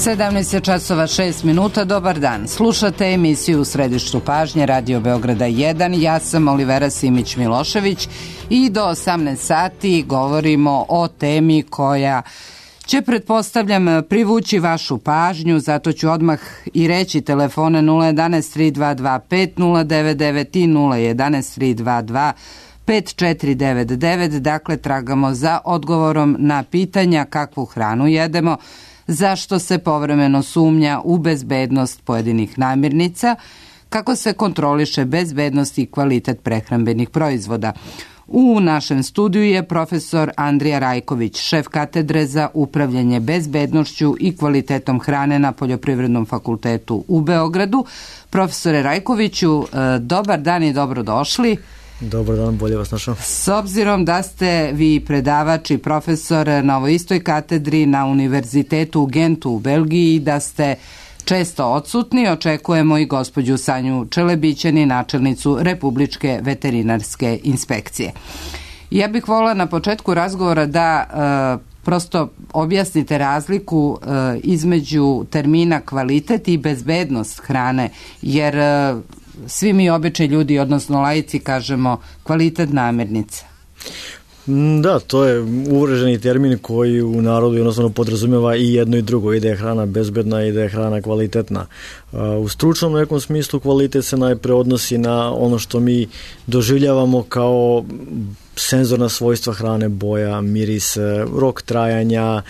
17 časova 6 minuta, dobar dan. Slušate emisiju U središtu pažnje Radio Beograda 1. Ja sam Olivera Simić-Milošević i do 18 sati govorimo o temi koja će, pretpostavljam, privući vašu pažnju, zato ću odmah i reći telefone 011 322 5099 i 011 322 5499. Dakle, tragamo za odgovorom na pitanja kakvu hranu jedemo, zašto se povremeno sumnja u bezbednost pojedinih namirnica, kako se kontroliše bezbednost i kvalitet prehrambenih proizvoda. U našem studiju je profesor Andrija Rajković, šef katedre za upravljanje bezbednošću i kvalitetom hrane na Poljoprivrednom fakultetu u Beogradu. Profesore Rajkoviću, dobar dan i dobrodošli. Dobar dan, bolje vas našao. S obzirom da ste vi predavač i profesor na ovoj istoj katedri na Univerzitetu u Gentu u Belgiji, da ste često odsutni, očekujemo i gospođu Sanju Čelebićani, načelnicu Republičke veterinarske inspekcije. Ja bih voljela na početku razgovora da prosto objasnite razliku između termina kvalitet i bezbednost hrane, jer svi mi obični ljudi, odnosno laici, kažemo kvalitet namirnica. Da, to je uvreženi termin koji u narodu jednostavno podrazumijeva i jedno i drugo, i da je hrana bezbedna i da je hrana kvalitetna. U stručnom nekom smislu kvalitet se najpre odnosi na ono što mi doživljavamo kao senzorna svojstva hrane, boja, miris, rok trajanja,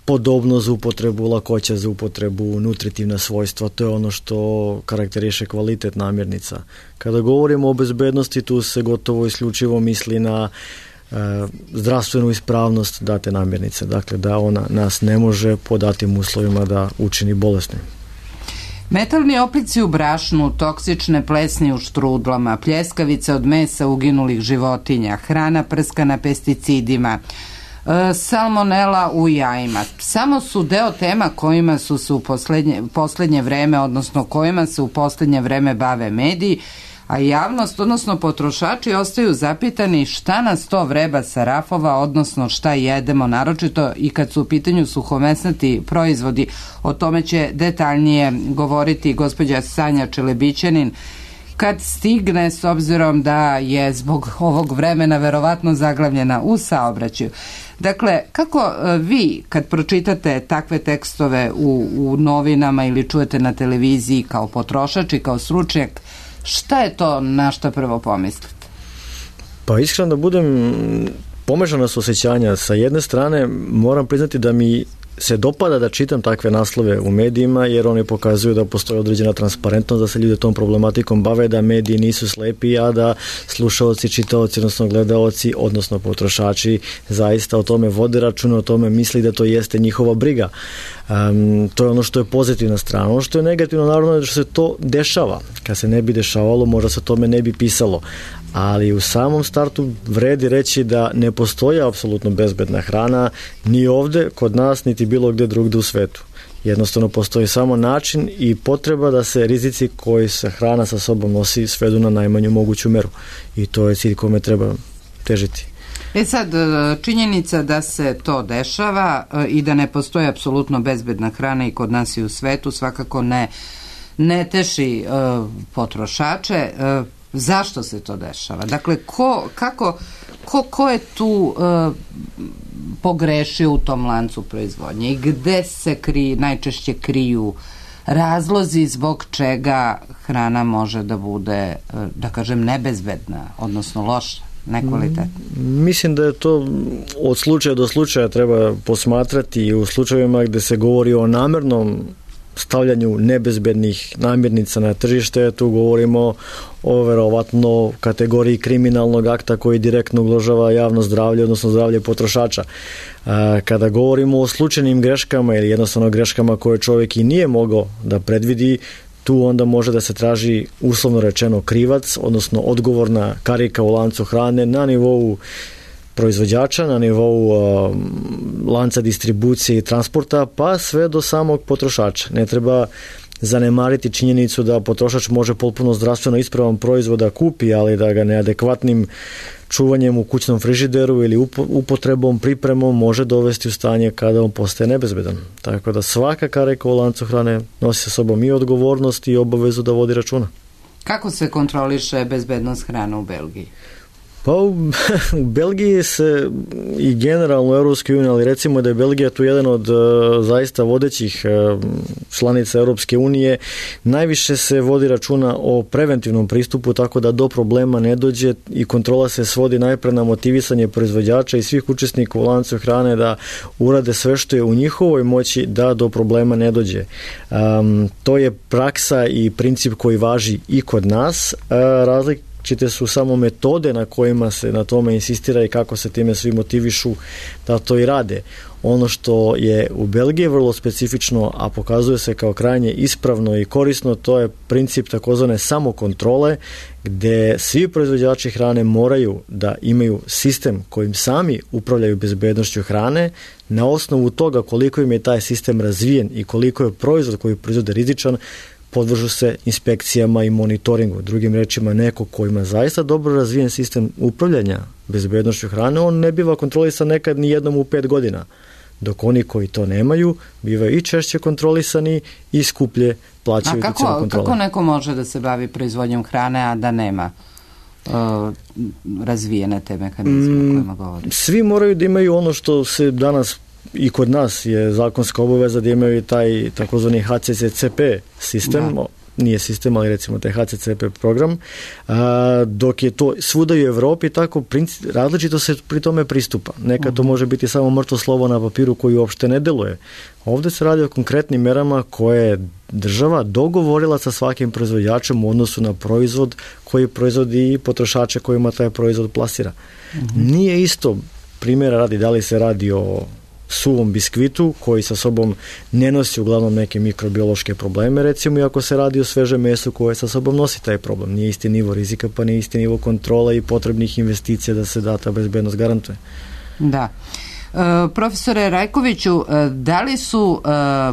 podobnost za upotrebu, lakoća za upotrebu, nutritivna svojstva, to je ono što karakteriše kvalitet namirnica. Kada govorimo o bezbednosti, tu se gotovo isključivo misli na zdravstvenu ispravnost date namirnice, dakle da ona nas ne može po datim uslovima da učini bolesnim. Metalni oplici u brašnu, toksične plesni u štrudlama, pljeskavice od mesa uginulih životinja, hrana prskana pesticidima, salmonela u jajima. Samo su deo tema kojima su se u poslednje vreme, odnosno kojima se u poslednje vreme bave mediji, a javnost, odnosno potrošači, ostaju zapitani šta nas to vreba sa rafova, odnosno šta jedemo, naročito i kad su u pitanju suhomesnati proizvodi. O tome će detaljnije govoriti gospođa Sanja Čelebićanin kad stigne, s obzirom da je zbog ovog vremena verovatno zaglavljena u saobraćaju. Dakle, kako vi kad pročitate takve tekstove u novinama ili čujete na televiziji kao potrošač i kao stručnjak, šta je to na što prvo pomislite? Pa iskreno da budem, pomešana su osjećanja. Sa jedne strane moram priznati da mi se dopada da čitam takve naslove u medijima, jer oni pokazuju da postoji određena transparentnost, da se ljudi tom problematikom bave, da mediji nisu slepi, a da slušaoci, čitaoci, odnosno gledaoci, odnosno potrošači zaista o tome vode računa, o tome misli da to jeste njihova briga. To je ono što je pozitivna strana. Ono što je negativno, naravno, je što se to dešava. Kad se ne bi dešavalo, možda se o tome ne bi pisalo. Ali u samom startu vredi reći da ne postoji apsolutno bezbedna hrana ni ovde, kod nas, niti bilo gde drugde u svetu. Jednostavno postoji samo način i potreba da se rizici koji se hrana sa sobom nosi svedu na najmanju moguću meru. I to je cilj kome treba težiti. Sad, činjenica da se to dešava i da ne postoji apsolutno bezbedna hrana i kod nas i u svetu svakako ne teši potrošače. Zašto se to dešava? Dakle, ko je tu pogrešio u tom lancu proizvodnje i gde se najčešće kriju razlozi zbog čega hrana može da bude, da kažem, nebezbedna, odnosno loša, nekvalitetna? Mislim da je to od slučaja do slučaja treba posmatrati i u slučajevima gde se govori o namernom stavljanju nebezbednih namirnica na tržište, tu govorimo o verovatno kategoriji kriminalnog akta koji direktno ugrožava javno zdravlje, odnosno zdravlje potrošača. Kada govorimo o slučajnim greškama ili jednostavno greškama koje čovjek i nije mogao da predvidi, tu onda može da se traži uslovno rečeno krivac, odnosno odgovorna karika u lancu hrane na nivou proizvođača, na nivou lanca distribucije i transporta, pa sve do samog potrošača. Ne treba zanemariti činjenicu da potrošač može potpuno zdravstveno ispravan proizvod da kupi, ali da ga neadekvatnim čuvanjem u kućnom frižideru ili upotrebom, pripremom može dovesti u stanje kada on postaje nebezbedan. Tako da svaka karika u lancu hrane nosi sa sobom i odgovornost i obavezu da vodi računa. Kako se kontroliše bezbednost hrane u Belgiji? Pa u Belgiji se i generalno u Europskoj uniji, ali recimo da je Belgija tu jedan od zaista vodećih članica Europske unije, najviše se vodi računa o preventivnom pristupu, tako da do problema ne dođe i kontrola se svodi najpre na motivisanje proizvođača i svih učesnika u lancu hrane da urade sve što je u njihovoj moći da do problema ne dođe. To je praksa i princip koji važi i kod nas. Različite su samo metode na kojima se na tome insistira i kako se time svi motivišu da to i rade. Ono što je u Belgiji vrlo specifično, a pokazuje se kao krajnje ispravno i korisno, to je princip takozvane samokontrole, gde svi proizvođači hrane moraju da imaju sistem kojim sami upravljaju bezbednošću hrane. Na osnovu toga koliko im je taj sistem razvijen i koliko je proizvod koji proizvode rizičan, podvržu se inspekcijama i monitoringu. Drugim rečima, neko ko ima zaista dobro razvijen sistem upravljanja bezbednošću hrane, on ne biva kontrolisan nekad ni jednom u 5 godina. Dok oni koji to nemaju, bivaju i češće kontrolisani i skuplje plaćaju tu cijelu kontrolu. Kako neko može da se bavi proizvodnjom hrane, a da nema razvijene te mehanizme o kojima govorim? Svi moraju da imaju ono što se danas i kod nas je zakonska obaveza da imaju taj takozvani HCCP sistem, nije sistem, ali recimo taj HCCP program, dok je to svuda u Evropi tako različito se pri tome pristupa. Nekad to može biti samo mrtvo slovo na papiru koji uopšte ne deluje. Ovde se radi o konkretnim merama koje je država dogovorila sa svakim proizvođačem u odnosu na proizvod koji proizvodi i potrošače kojima taj proizvod plasira. Nije isto, primjera radi, da li se radi o suvom biskvitu koji sa sobom ne nosi uglavnom neke mikrobiološke probleme, recimo, i ako se radi o svežem mesu koje sa sobom nosi taj problem. Nije isti nivo rizika, pa nije isti nivo kontrola i potrebnih investicija da se da ta bezbednost garantuje. Da. Profesore Rajkoviću, da li su,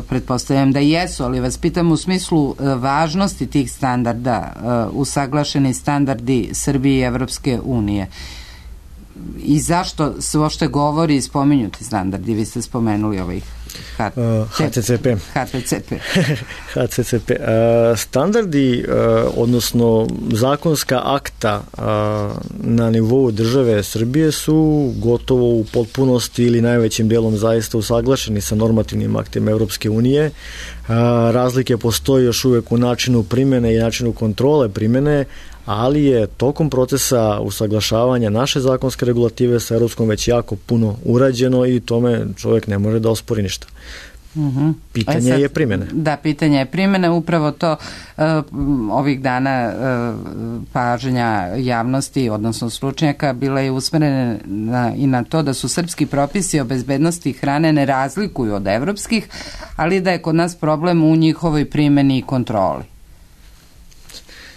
pretpostavljam da jesu, ali vas pitam u smislu važnosti tih standarda, usaglašeni standardi Srbije i Evropske unije? I zašto se uopšte govori i spominju ti standardi? Vi ste spomenuli ovih HCCP. HCCP. Standardi, odnosno zakonska akta na nivou države Srbije su gotovo u potpunosti ili najvećim delom zaista usaglašeni sa normativnim aktima Europske unije. Razlike postoji još uvek u načinu primene i načinu kontrole primene, ali je tokom procesa usaglašavanja naše zakonske regulative sa europskom već jako puno urađeno i tome čovjek ne može da ospori ništa. Pitanje je primjene. Da, pitanje je primjene. Upravo to ovih dana pažnja javnosti, odnosno stručnjaka, bila je usmerena i na to da su srpski propisi o bezbednosti hrane ne razlikuju od evropskih, ali da je kod nas problem u njihovoj primjeni i kontroli.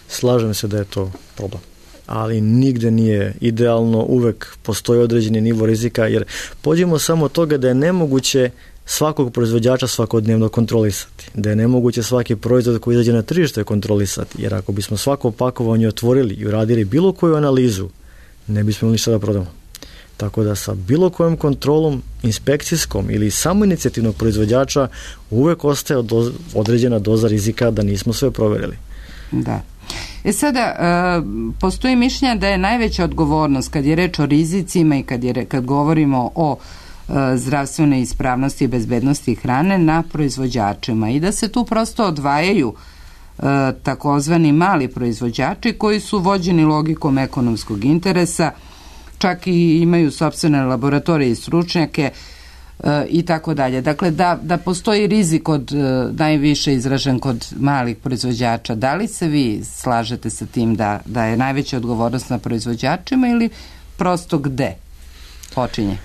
Slažem se da je to problem, ali nigde nije idealno, uvek postoji određeni nivo rizika, jer pođemo samo od toga da je nemoguće svakog proizvođača svakodnevno kontrolisati, da je nemoguće svaki proizvod koji izađe na tržište kontrolisati, jer ako bismo svako pakovanje otvorili i uradili bilo koju analizu, ne bismo ništa da prodamo. Tako da sa bilo kojom kontrolom inspekcijskom ili samoinicijativnog proizvođača uvek ostaje određena doza rizika da nismo sve proverili. Da. Sada, postoji mišljenje da je najveća odgovornost kad je reč o rizicima i kad govorimo o zdravstvenoj ispravnosti i bezbednosti hrane na proizvođačima i da se tu prosto odvajaju takozvani mali proizvođači koji su vođeni logikom ekonomskog interesa, čak i imaju sopstvene laboratorije i stručnjake i tako dalje. Dakle, da postoji rizik od najviše izražen kod malih proizvođača. Da li se vi slažete sa tim da je najveća odgovornost na proizvođačima ili prosto gde počinje?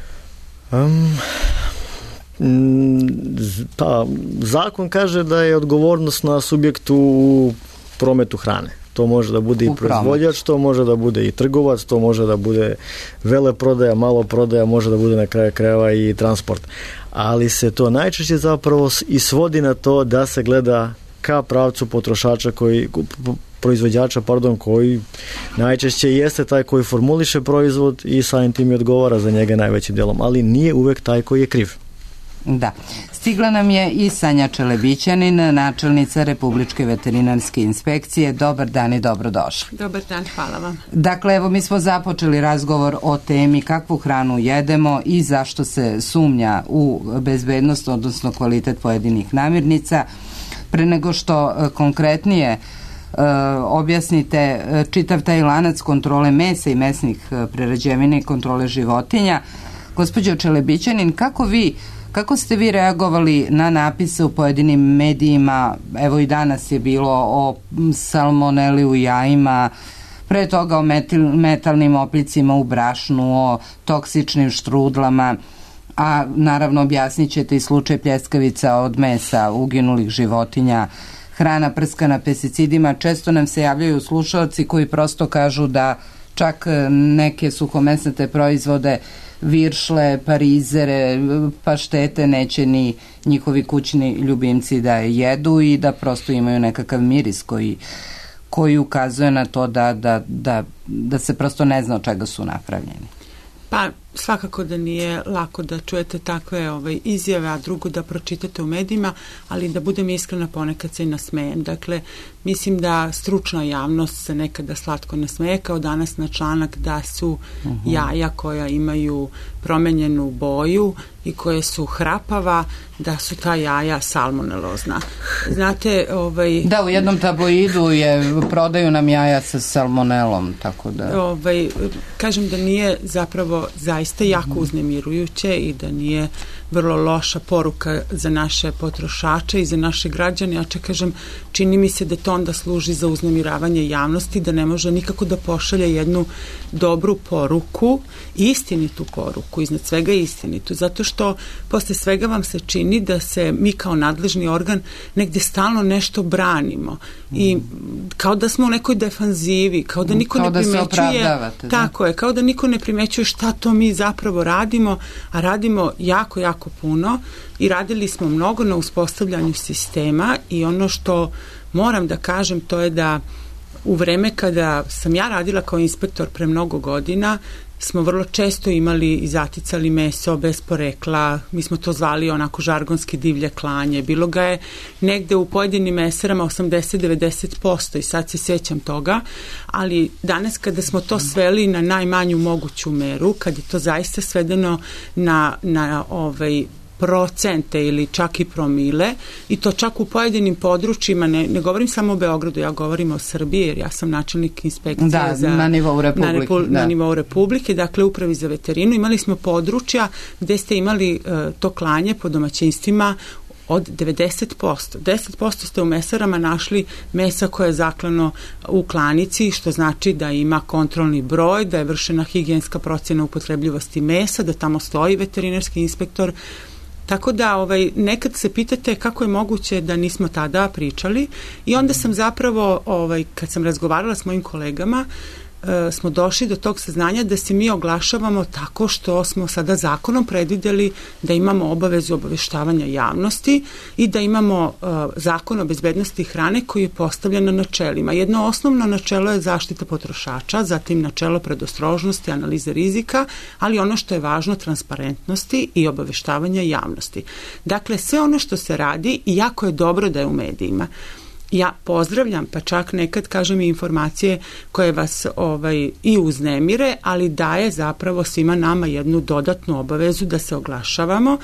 Pa, zakon kaže da je odgovornost na subjektu u prometu hrane. To može da bude i proizvođač, to može da bude i trgovac, to može da bude veleprodaja, maloprodaja, može da bude na kraju krajeva i transport. Ali se to najčešće zapravo i svodi na to da se gleda ka pravcu potrošača proizvođača, koji najčešće jeste taj koji formuliše proizvod i samim tim i odgovara za njega najvećim dijelom, ali nije uvek taj koji je kriv. Da. Stigla nam je i Sanja Čelebićanin, načelnica Republičke veterinarske inspekcije. Dobar dan i dobrodošli. Dobar dan, hvala vam. Dakle, evo mi smo započeli razgovor o temi kakvu hranu jedemo i zašto se sumnja u bezbednost, odnosno kvalitet pojedinih namirnica. Pre nego što konkretnije objasnite čitav taj lanac kontrole mesa i mesnih prerađevina i kontrole životinja, gospođo Čelebićanin, kako ste vi reagovali na napise u pojedinim medijima? Evo i danas je bilo o salmoneli u jajima, pre toga o metalnim oplicima u brašnu, o toksičnim štrudlama, a naravno objasnit ćete i slučaj pljeskavica od mesa uginulih životinja, hrana prskana pesticidima. Često nam se javljaju slušalci koji prosto kažu da čak neke suhomesnate proizvode, viršle, parizere, paštete neće ni njihovi kućni ljubimci da jedu i da prosto imaju nekakav miris koji ukazuje na to da se prosto ne zna od čega su napravljeni. Pa svakako da nije lako da čujete takve izjave, a drugo da pročitate u medijima, ali da budem iskrena, ponekad se i nasmejem. Dakle, mislim da stručna javnost se nekada slatko nasmeje, kao danas na članak da su jaja koja imaju promenjenu boju i koje su hrapava, da su ta jaja salmonelozna. Znate, Da, u jednom tabloidu prodaju nam jaja sa salmonelom, tako da... Kažem da nije zapravo zaista jako uznemirujuće i da nije vrlo loša poruka za naše potrošače i za naše građane. Ja kažem, čini mi se da to onda služi za uznemiravanje javnosti, da ne može nikako da pošalje jednu dobru poruku, istinitu poruku, iznad svega istinitu, zato što posle svega vam se čini da se mi kao nadležni organ negde stalno nešto branimo i kao da smo u nekoj defanzivi, kao da niko ne primećuje, tako je, kao da niko ne primećuje šta to mi zapravo radimo, a radimo jako, jako puno i radili smo mnogo na uspostavljanju sistema i ono što moram da kažem to je da u vreme kada sam ja radila kao inspektor pre mnogo godina smo vrlo često imali i zaticali meso bez porekla, mi smo to zvali onako žargonski divlje klanje, bilo ga je negde u pojedinim meserama 80-90% i sad se sjećam toga, ali danas kada smo to sveli na najmanju moguću meru, kad je to zaista svedeno na procente ili čak i promile i to čak u pojedinim područjima, ne govorim samo o Beogradu, ja govorim o Srbiji jer ja sam načelnik inspekcije na nivou Republike. Na nivou Republike, dakle upravi za veterinu. Imali smo područja gde ste imali to klanje po domaćinstvima od 90%. 10% ste u mesarama našli mesa koje je zaklano u klanici, što znači da ima kontrolni broj, da je vršena higijenska procjena upotrebljivosti mesa, da tamo stoji veterinarski inspektor. Tako da nekad se pitate kako je moguće da nismo tada pričali i onda sam zapravo, kad sam razgovarala s mojim kolegama, smo došli do tog saznanja da se mi oglašavamo tako što smo sada zakonom predvideli da imamo obavezu obaveštavanja javnosti i da imamo zakon o bezbednosti hrane koji je postavljen na načelima. Jedno osnovno načelo je zaštita potrošača, zatim načelo predostrožnosti, analize rizika, ali ono što je važno, transparentnosti i obaveštavanja javnosti. Dakle, sve ono što se radi i jako je dobro da je u medijima. Ja pozdravljam, pa čak nekad kažem i informacije koje vas i uznemire, ali daje zapravo svima nama jednu dodatnu obavezu da se oglašavamo.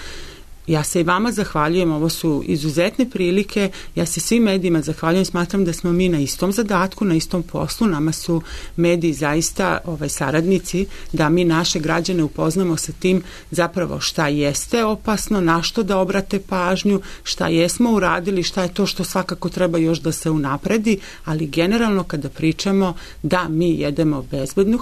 Ja se i vama zahvaljujem, ovo su izuzetne prilike, ja se svim medijima zahvaljujem, smatram da smo mi na istom zadatku, na istom poslu, nama su mediji zaista saradnici, da mi naše građane upoznamo sa tim zapravo šta jeste opasno, na što da obrate pažnju, šta jesmo uradili, šta je to što svakako treba još da se unapredi, ali generalno kada pričamo da mi jedemo bezbednu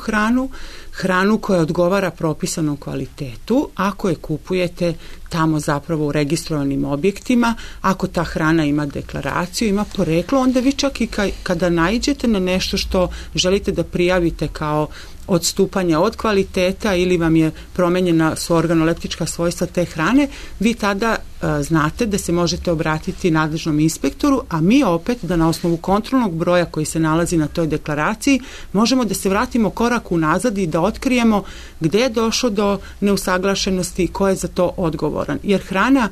hranu koja odgovara propisanom kvalitetu, ako je kupujete tamo zapravo u registrovanim objektima, ako ta hrana ima deklaraciju, ima poreklo, onda vi čak i kada naiđete na nešto što želite da prijavite kao odstupanja od kvaliteta ili vam je promenjena su organoleptička svojstva te hrane, vi tada znate da se možete obratiti nadležnom inspektoru, a mi opet da na osnovu kontrolnog broja koji se nalazi na toj deklaraciji možemo da se vratimo korak unazad i da otkrijemo gde je došlo do neusaglašenosti i ko je za to odgovoran. Jer hrana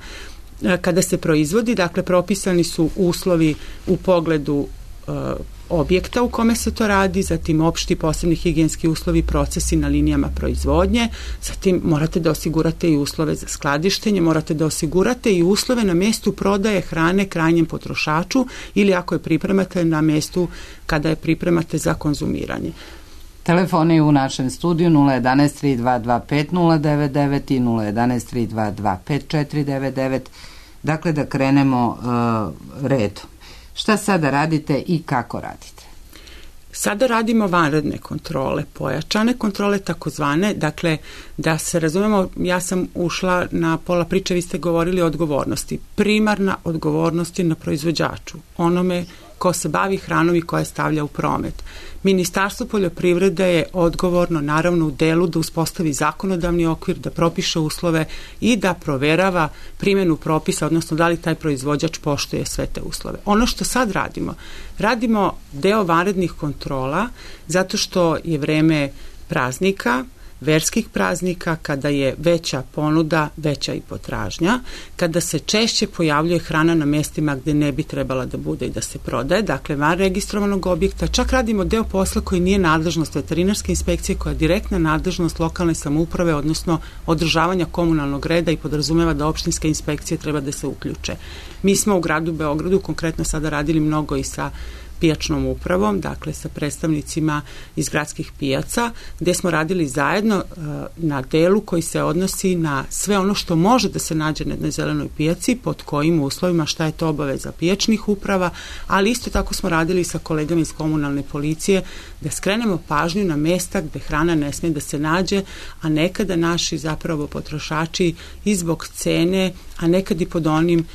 kada se proizvodi, dakle propisani su uslovi u pogledu objekta u kome se to radi, zatim opšti posebni higijenski uslovi, procesi na linijama proizvodnje, zatim morate da osigurate i uslove za skladištenje, morate da osigurate i uslove na mestu prodaje hrane krajnjem potrošaču ili ako je pripremate na mestu kada je pripremate za konzumiranje. Telefoni u našem studiju 011 3225 099 i 011 3225 499. Dakle, da krenemo redom. Šta sada radite i kako radite? Sada radimo vanredne kontrole, pojačane kontrole takozvane, dakle da se razumemo, ja sam ušla na pola priče, vi ste govorili o odgovornosti. Primarna odgovornost je na proizvođaču, onome ko se bavi hranom i koja stavlja u promet. Ministarstvo poljoprivrede je odgovorno naravno u delu da uspostavi zakonodavni okvir, da propiše uslove i da proverava primjenu propisa, odnosno da li taj proizvođač poštuje sve te uslove. Ono što sad radimo deo vanrednih kontrola zato što je vreme praznika, verskih praznika, kada je veća ponuda, veća i potražnja, kada se češće pojavljuje hrana na mestima gde ne bi trebala da bude i da se prodaje, dakle van registrovanog objekta, čak radimo deo posla koji nije nadležnost veterinarske inspekcije, koja je direktna nadležnost lokalne samouprave, odnosno održavanja komunalnog reda i podrazumeva da opštinske inspekcije treba da se uključe. Mi smo u gradu Beogradu konkretno sada radili mnogo i sa pijačnom upravom, dakle sa predstavnicima iz gradskih pijaca, gde smo radili zajedno na delu koji se odnosi na sve ono što može da se nađe na jednoj zelenoj pijaci, pod kojim uslovima, šta je to obaveza pijačnih uprava, ali isto tako smo radili sa kolegama iz komunalne policije da skrenemo pažnju na mesta gde hrana ne smije da se nađe, a nekada naši zapravo potrošači i zbog cene, a nekad i pod onim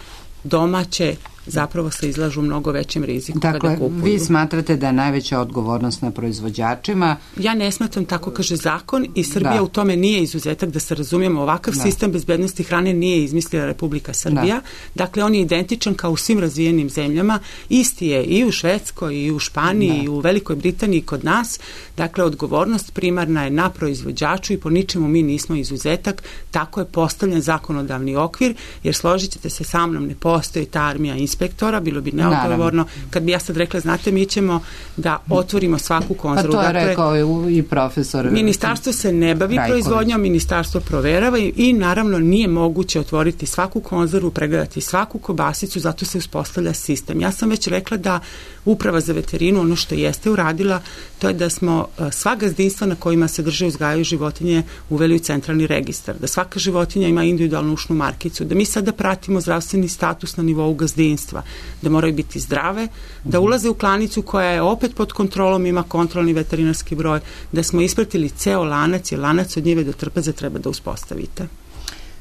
domaće zapravo se izlažu mnogo većim riziku kada kupuju. Dakle, vi smatrate da je najveća odgovornost na proizvođačima? Ja ne smatram, tako kaže zakon, i Srbija u tome nije izuzetak, da se razumijemo. Ovakav sistem bezbednosti hrane nije izmislila Republika Srbija. Dakle, on je identičan kao u svim razvijenim zemljama. Isti je i u Švedskoj, i u Španiji, i u Velikoj Britaniji, kod nas. Dakle, odgovornost primarna je na proizvođaču i po ničemu mi nismo izuzetak. Tako je postavljen zakonodavni okvir, jer složit ćete se sa mnom, ne postoji ta armija inspektora, bilo bi neodgovorno. Kad bi ja sad rekla, znate, mi ćemo da otvorimo svaku konzervu. Pa to je rekao i profesor. Ministarstvo se ne bavi proizvodnjom, ministarstvo proverava i naravno nije moguće otvoriti svaku konzervu, pregledati svaku kobasicu, zato se uspostavlja sistem. Ja sam već rekla da Uprava za veterinu, ono što jeste uradila, to je da smo sva gazdinstva na kojima se drže, uzgajaju životinje uveli u centralni registar, da svaka životinja ima individualnu ušnu markicu, da mi sada pratimo zdravstveni status na nivou gazdinstva, da moraju biti zdrave, da ulaze u klanicu koja je opet pod kontrolom, ima kontrolni veterinarski broj, da smo ispratili ceo lanac, jer lanac od njive do trpeze treba da uspostavite.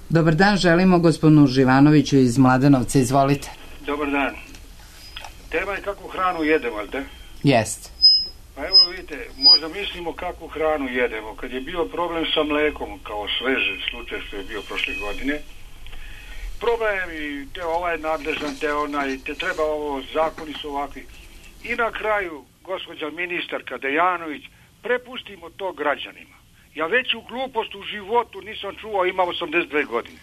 Dobar dan, želimo gospodinu Živanoviću iz Mladenovca, izvolite. Dobar dan. Tema je kakvu hranu jedemo, ali da? Jest. Pa evo vidite, možda mislimo kakvu hranu jedemo. Kad je bio problem sa mlekom, kao sveži slučaj što je bio prošle godine, problem i te ovaj je nadležan, te onaj, te treba ovo, zakoni su ovakvi. I na kraju, gospođa ministarka Dejanović, prepustimo to građanima. Ja veću glupost u životu nisam čuo, imam 82 godine.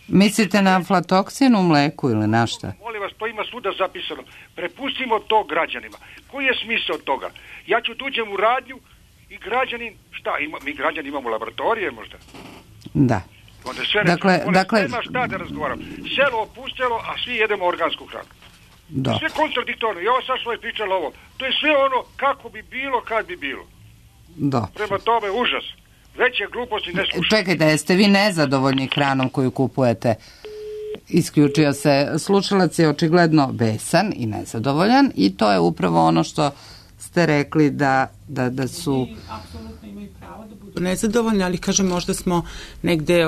Mislite na aflatoksin u mleku ili na šta? Molim vas, to ima svuda zapisano. Prepustimo to građanima. Koji je smisao toga? Ja ću tuđem u radnju i građanin, šta, mi građani imamo laboratorije možda? Da. Onda sve nema šta da razgovaram. Selo opustelo, a svi jedemo organsku hranu. Da. Sve kontradiktorno. Ja ovo sad što je pričalo ovo. To je sve ono kako bi bilo, kad bi bilo. Da. Prema tome, užas. Veće gluposti ne slušaju. Čekajte, jeste vi nezadovoljni hranom koju kupujete? Isključio se. Slušalac je očigledno besan i nezadovoljan i to je upravo ono što ste rekli da su... Apsolutno imaju pravo da budu nezadovoljni, ali kažem, možda smo negde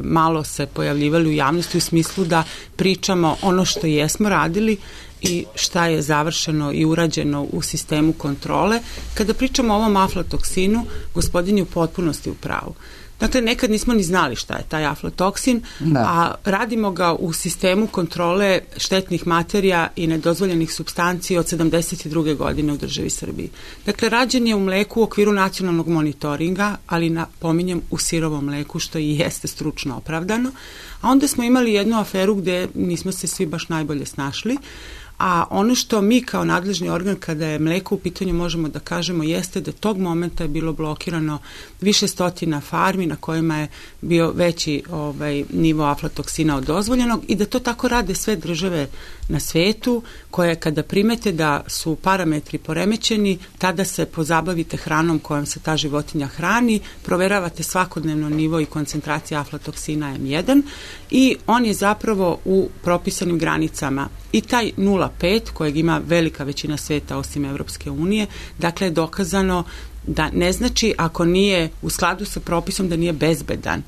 malo se pojavljivali u javnosti u smislu da pričamo ono što jesmo radili. i šta je završeno i urađeno u sistemu kontrole. Kada pričamo o ovom aflatoksinu, gospodin je u potpunosti u pravu. Dakle, nekad nismo ni znali šta je taj aflatoksin, a radimo ga u sistemu kontrole štetnih materija i nedozvoljenih supstanci od 72. godine u državi Srbiji. Dakle, rađen je u mleku u okviru nacionalnog monitoringa, ali napominjem u sirovom mleku, što i jeste stručno opravdano. A onda smo imali jednu aferu gde nismo se svi baš najbolje snašli, a ono što mi kao nadležni organ kada je mleko u pitanju možemo da kažemo jeste da tog momenta je bilo blokirano više stotina farmi na kojima je bio veći nivo aflatoksina od dozvoljenog i da to tako rade sve države na svetu koje kada primete da su parametri poremećeni, tada se pozabavite hranom kojom se ta životinja hrani, proveravate svakodnevno nivo i koncentracija aflatoksina M1 i on je zapravo u propisanim granicama. I taj 0,5 kojeg ima velika većina sveta osim Evropske unije, dakle je dokazano da ne znači ako nije u skladu sa propisom da nije bezbedan.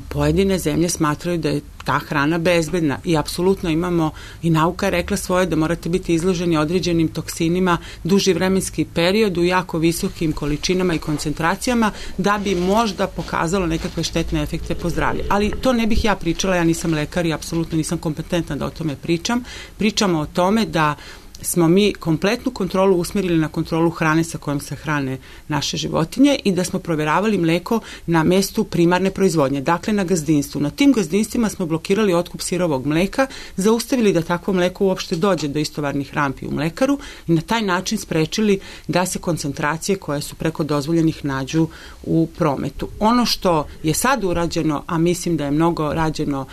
Pojedine zemlje smatraju da je ta hrana bezbedna i apsolutno imamo i nauka je rekla svoje da morate biti izloženi određenim toksinima duži vremenski period u jako visokim količinama i koncentracijama da bi možda pokazalo nekakve štetne efekte po zdravlje. Ali to ne bih ja pričala, ja nisam lekar i apsolutno nisam kompetentna da o tome pričam. Pričamo o tome da smo mi kompletnu kontrolu usmerili na kontrolu hrane sa kojom se hrane naše životinje i da smo provjeravali mleko na mestu primarne proizvodnje, dakle na gazdinstvu. Na tim gazdinstvima smo blokirali otkup sirovog mleka, zaustavili da takvo mleko uopšte dođe do istovarnih rampi u mlekaru i na taj način sprečili da se koncentracije koje su preko dozvoljenih nađu u prometu. Ono što je sad urađeno, a mislim da je mnogo rađeno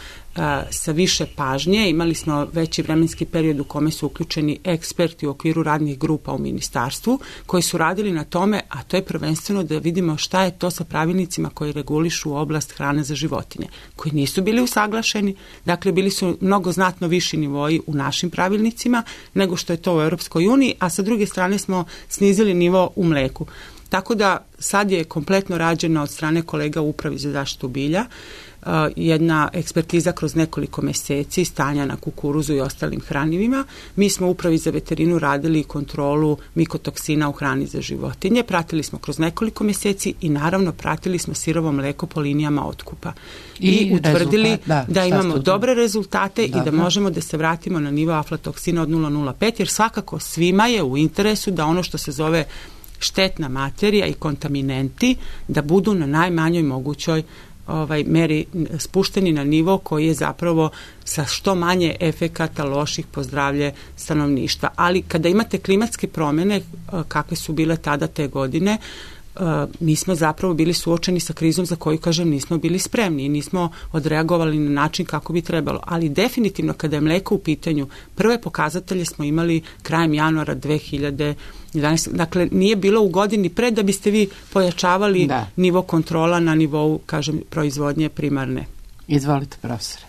sa više pažnje, imali smo veći vremenski period u kome su uključeni eksperti u okviru radnih grupa u ministarstvu koji su radili na tome, a to je prvenstveno da vidimo šta je to sa pravilnicima koji regulišu oblast hrane za životinje, koji nisu bili usaglašeni, dakle bili su mnogo znatno viši nivoji u našim pravilnicima nego što je to u Europskoj uniji, a sa druge strane smo snizili nivo u mleku. Tako da sad je kompletno rađeno od strane kolega u Upravi za zaštitu bilja jedna ekspertiza kroz nekoliko meseci stanja na kukuruzu i ostalim hranivima. Mi smo u Upravi za veterinu radili kontrolu mikotoksina u hrani za životinje, pratili smo kroz nekoliko meseci i naravno pratili smo sirovo mleko po linijama otkupa. I utvrdili da imamo dobre rezultate i da možemo da se vratimo na nivo aflatoksina od 0,05, jer svakako svima je u interesu da ono što se zove štetna materija i kontaminenti da budu na najmanjoj mogućoj meri spušteni na nivo koji je zapravo sa što manje efekata loših po zdravlje stanovništva. Ali kada imate klimatske promjene kakve su bile tada te godine, mi smo zapravo bili suočeni sa krizom za koju, kažem, nismo bili spremni i nismo odreagovali na način kako bi trebalo. Ali definitivno kada je mleko u pitanju, prve pokazatelje smo imali krajem januara 2011. Dakle, nije bilo u godini pre da biste vi pojačavali nivo kontrola na nivou, kažem, proizvodnje primarne. Izvolite, profesore.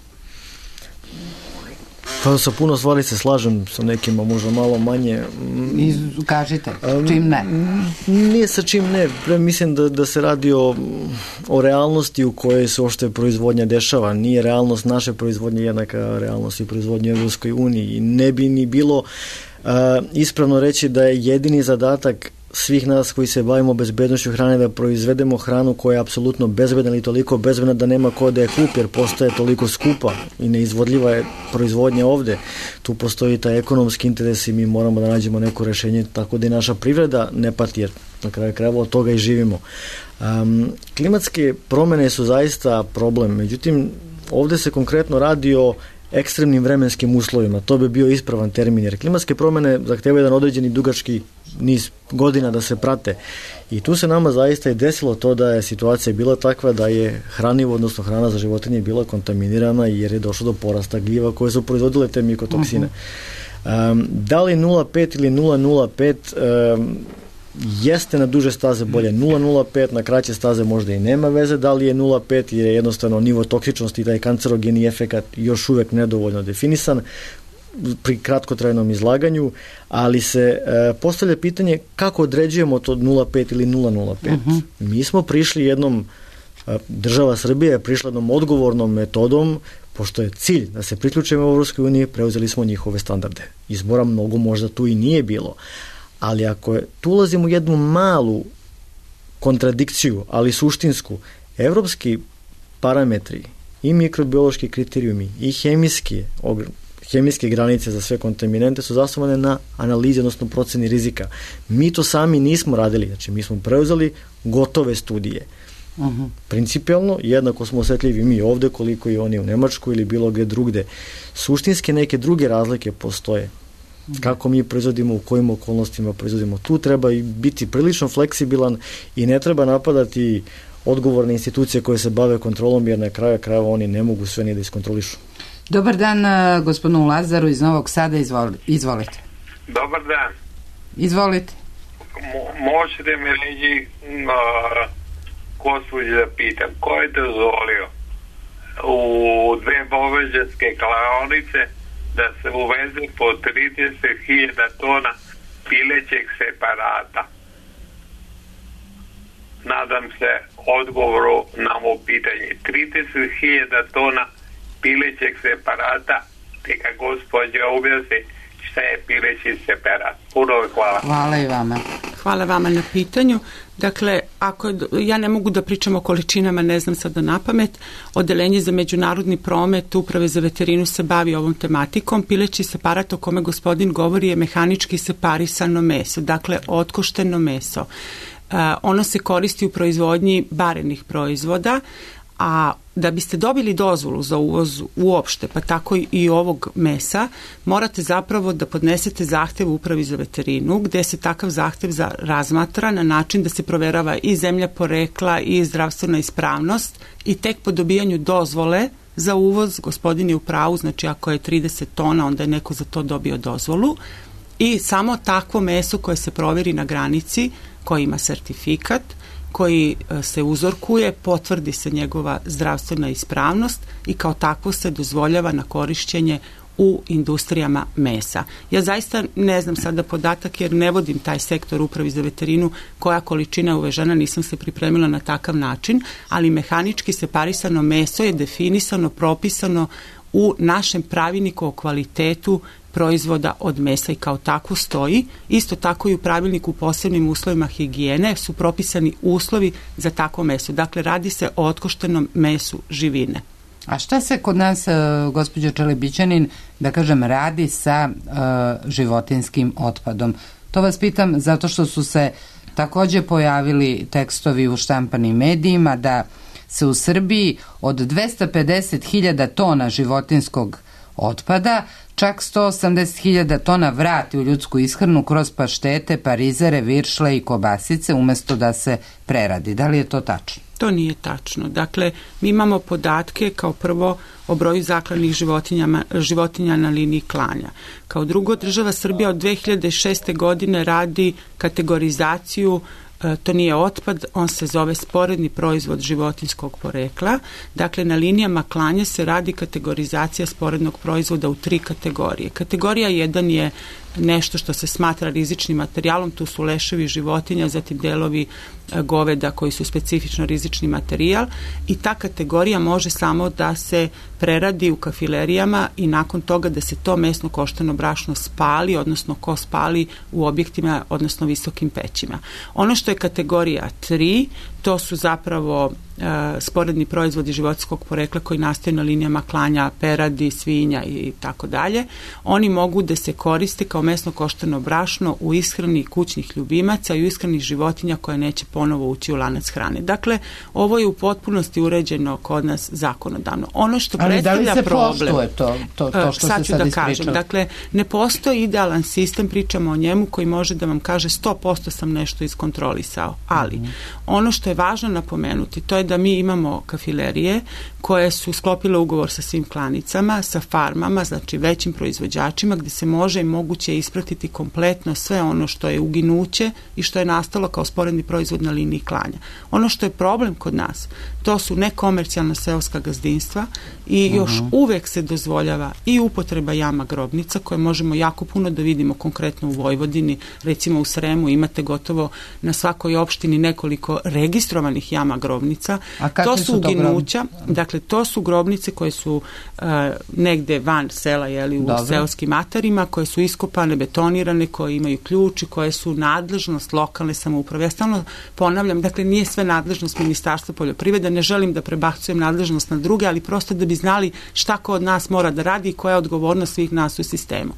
Pa sa puno stvari se slažem, sa nekima možda malo manje. Kažite, čim ne? Nije sa čim ne. Mislim da se radi o realnosti u kojoj se uopšte proizvodnja dešava. Nije realnost naše proizvodnje jednaka realnosti proizvodnje u Evropskoj uniji. I ne bi ni bilo ispravno reći da je jedini zadatak svih nas koji se bavimo bezbednošću hrane da proizvedemo hranu koja je apsolutno bezbedna ili toliko bezbedna da nema ko da je kupi, jer postaje toliko skupa i neizvodljiva je proizvodnja ovde. Tu postoji taj ekonomski interes i mi moramo da nađemo neko rešenje tako da i naša privreda ne pati, jer na kraju krajeva od toga i živimo. Klimatske promene su zaista problem, međutim ovde se konkretno radi o ekstremnim vremenskim uslovima. To bi bio ispravan termin, jer klimatske promene zahtevaju jedan određeni dugački niz godina da se prate. I tu se nama zaista i desilo to da je situacija bila takva da je hranivo, odnosno hrana za životinje bila kontaminirana jer je došlo do porasta gljiva koje su proizvodile te mikotoksine. Da li 0,5 ili 0,05 jeste na duže staze bolje 0,05, na kraće staze možda i nema veze da li je 0,5 jer je jednostavno nivo toksičnosti i taj kancerogeni efekat još uvek nedovoljno definisan pri kratkotrajnom izlaganju, ali se postavlja pitanje kako određujemo to 0,5 ili 0,05. Mi smo prišli jednom, država Srbije je prišla jednom odgovornom metodom pošto je cilj da se priključimo u Evropskoj uniji, preuzeli smo njihove standarde. Izbora mnogo možda tu i nije bilo, ali ako tu ulazimo u jednu malu kontradikciju, ali suštinsku, evropski parametri i mikrobiološki kriterijumi i hemijske granice za sve kontaminante su zasnovane na analizi, odnosno proceni rizika. Mi to sami nismo radili, znači mi smo preuzeli gotove studije. Principijalno, jednako smo osetljivi mi ovde koliko i oni u Nemačkoj ili bilo gde drugde. Suštinske neke druge razlike postoje. Kako mi proizvodimo, u kojim okolnostima proizvodimo. Tu treba i biti prilično fleksibilan i ne treba napadati odgovorne institucije koje se bave kontrolom, jer na kraju krajeva oni ne mogu sve ni da iskontrolišu. Dobar dan gospodinu Lazaru iz Novog Sada, izvolite. Dobar dan. Izvolite. Možete mi reći, gospođe, da pitam, ko je dozvolio u 2 boveđanske klaonice da se uveze po 30.000 tona pilećeg separata? Nadam se odgovoru na ovo pitanje. 30.000 tona pilećeg separata, neka gospođa objasni šta je pileći separat. Puno hvala. Hvala i vama. Hvala vama na pitanju. Dakle, ja ne mogu da pričam o količinama, ne znam sada napamet. Odeljenje za međunarodni promet Uprave za veterinu se bavi ovom tematikom. Pileći separat o kome gospodin govori je mehanički separisano meso, dakle otkošteno meso. Ono se koristi u proizvodnji barenih proizvoda, a da biste dobili dozvolu za uvoz uopšte, pa tako i ovog mesa, morate zapravo da podnesete zahtev u Upravi za veterinu, gde se takav zahtev razmatra na način da se proverava i zemlja porekla i zdravstvena ispravnost i tek po dobijanju dozvole za uvoz, gospodin je u pravu, znači ako je 30 tona, onda je neko za to dobio dozvolu i samo takvo meso koje se proveri na granici, koji ima sertifikat, koji se uzorkuje, potvrdi se njegova zdravstvena ispravnost i kao takvo se dozvoljava na korišćenje u industrijama mesa. Ja zaista ne znam sada podatak jer ne vodim taj sektor Upravi za veterinu koja količina je uvežena, nisam se pripremila na takav način, ali mehanički separisano meso je definisano, propisano u našem pravilniku o kvalitetu proizvoda od mesa i kao tako stoji. Isto tako i u pravilniku u posebnim uslovima higijene su propisani uslovi za takvo meso. Dakle, radi se o otkoštenom mesu živine. A šta se kod nas, gospođo Čelebićanin, da kažem, radi sa životinskim otpadom? To vas pitam zato što su se takođe pojavili tekstovi u štampanim medijima da se u Srbiji od 250.000 tona životinskog otpada čak 180.000 tona vrati u ljudsku ishranu kroz paštete, parizere, viršle i kobasice umesto da se preradi. Da li je to tačno? To nije tačno. Dakle, mi imamo podatke kao prvo o broju zaklanih životinja na liniji klanja. Kao drugo, država Srbija od 2006. godine radi kategorizaciju. To nije otpad, on se zove sporedni proizvod životinjskog porekla. Dakle, na linijama klanja se radi kategorizacija sporednog proizvoda u 3 kategorije. Kategorija 1 je nešto što se smatra rizičnim materijalom, tu su leševi životinja, zatim delovi goveda koji su specifično rizični materijal i ta kategorija može samo da se preradi u kafilerijama i nakon toga da se to mesno koštano brašno spali, odnosno ko spali u objektima, odnosno visokim pećima. Ono što je kategorija 3, to su zapravo sporedni proizvodi životinjskog porekla koji nastaju na linijama klanja peradi, svinja i tako dalje. Oni mogu da se koriste kao mesno koštano brašno u ishrani kućnih ljubimaca i u ishrani životinja koje neće ponovo ući u lanac hrane. Dakle, ovo je u potpunosti uređeno kod nas zakonodavno. Ono što predstavlja problem... Ali da li se poštuje to što se sad ispričalo? Kažem, dakle, ne postoji idealan sistem, pričamo o njemu koji može da vam kaže 100% sam nešto iskontrolisao, ali ono što je važno napomenuti, to je da mi imamo kafilerije koje su sklopile ugovor sa svim klanicama, sa farmama, znači većim proizvođačima, gde se može i moguće ispratiti kompletno sve ono što je uginuće i što je nastalo kao sporedni proizvod na liniji klanja. Ono što je problem kod nas, to su nekomercijalna seoska gazdinstva i još uvek se dozvoljava i upotreba jama grobnica koje možemo jako puno da vidimo konkretno u Vojvodini, recimo u Sremu imate gotovo na svakoj opštini nekoliko registrovanih registrovanih jama grobnica. To su uginuća, dakle to su grobnice koje su negde van sela, jeli, u seoskim atarima, koje su iskopane, betonirane, koje imaju ključ i koje su nadležnost lokalne samouprave. Ja stalno ponavljam, dakle nije sve nadležnost Ministarstva poljoprivrede, ne želim da prebacujem nadležnost na druge, ali prosto da bi znali šta ko od nas mora da radi i koja je odgovornost svih nas u sistemu.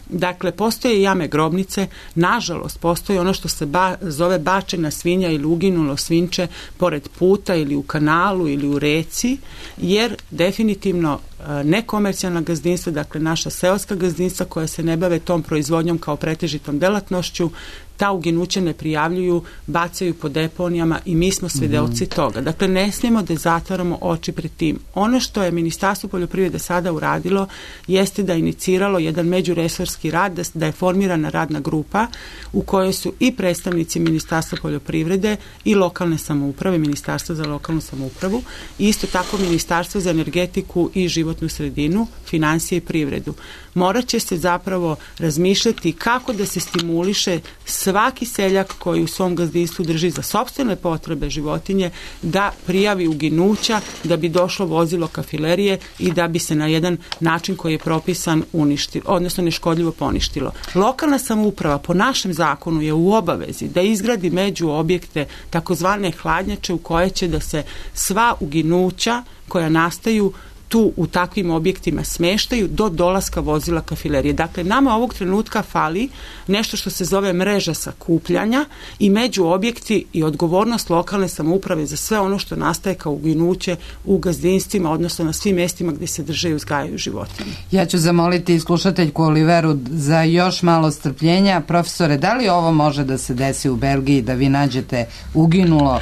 Dakle, postoje jame grobnice, nažalost, postoji ono što se zove bačena svinja ili uginulo svinče pored puta ili u kanalu ili u reci, jer definitivno nekomercijalna gazdinstva, dakle naša seoska gazdinstva koja se ne bave tom proizvodnjom kao pretežitom delatnošću, ta uginuća ne prijavljuju, bacaju po deponijama i mi smo svedoci toga. Dakle, ne smijemo da zatvaramo oči pred tim. Ono što je Ministarstvo poljoprivrede sada uradilo jeste da je iniciralo jedan međuresorski rad, da je formirana radna grupa u kojoj su i predstavnici Ministarstva poljoprivrede i lokalne samouprave, Ministarstva za lokalnu samoupravu, i isto tako Ministarstvo za energetiku i životnu sredinu, finansije i privredu. Morat će se zapravo razmišljati kako da se stimuliše svaki seljak koji u svom gazdinstvu drži za sopstvene potrebe životinje da prijavi uginuća, da bi došlo vozilo kafilerije i da bi se na jedan način koji je propisan uništilo, odnosno neškodljivo poništilo. Lokalna samouprava po našem zakonu je u obavezi da izgradi među objekte takozvane hladnjače u koje će da se sva uginuća koja nastaju tu u takvim objektima smeštaju do dolaska vozila kafilerije. Dakle, nama ovog trenutka fali nešto što se zove mreža sakupljanja i među objekti i odgovornost lokalne samouprave za sve ono što nastaje kao uginuće u gazdinstvima, odnosno na svim mestima gdje se drže i uzgajaju životinje. Ja ću zamoliti slušateljku Oliveru za još malo strpljenja. Profesore, da li ovo može da se desi u Belgiji, da vi nađete uginulo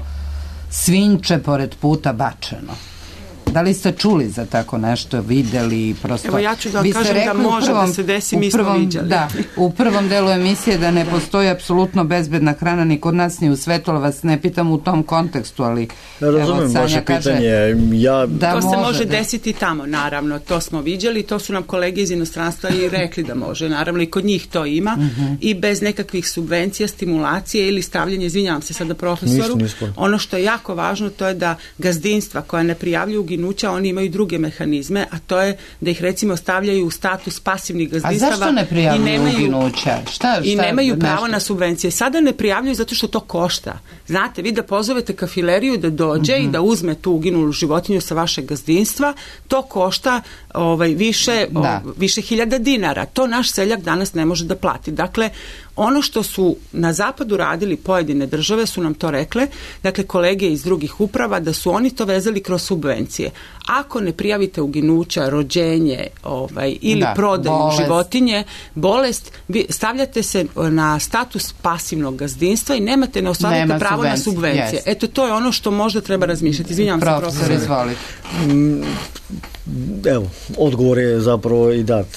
svinče pored puta bačeno? Da li ste čuli za tako nešto, videli? Prosto... Evo ja ću da kažem da može da se desi, mi smo viđali. Da, u prvom delu emisije da ne postoji apsolutno bezbedna hrana ni kod nas ni u Svetolu, vas ne pitam u tom kontekstu, ali ja razumijem vaše pitanje. To se može desiti tamo, naravno, to smo viđali, to su nam kolege iz inostranstva i rekli da može, naravno i kod njih to ima i bez nekakvih subvencija, stimulacije ili stavljanje, izvinjavam se sada profesoru, ono što je jako važno to je da gazdinstva koja ne prijavljuju uginuća, oni imaju druge mehanizme, a to je da ih recimo stavljaju u status pasivnih gazdinstava. A zašto ne prijavljuju uginuća? I nemaju pravo na subvencije. Sada ne prijavljuju zato što to košta. Znate, vi da pozovete kafileriju da dođe i da uzme tu uginulu životinju sa vašeg gazdinstva, to košta više hiljada dinara. To naš seljak danas ne može da plati. Dakle, ono što su na zapadu radili pojedine države su nam to rekle, dakle kolege iz drugih uprava, da su oni to vezali kroz subvencije. Ako ne prijavite uginuća, rođenje ili prodaju životinje, bolest, stavljate se na status pasivnog gazdinstva i ne ostvarujete pravo na subvencije. Eto, to je ono što možda treba razmišljati. Izvinjavam se, profesor. Izvolite. Evo, odgovor je zapravo i dat.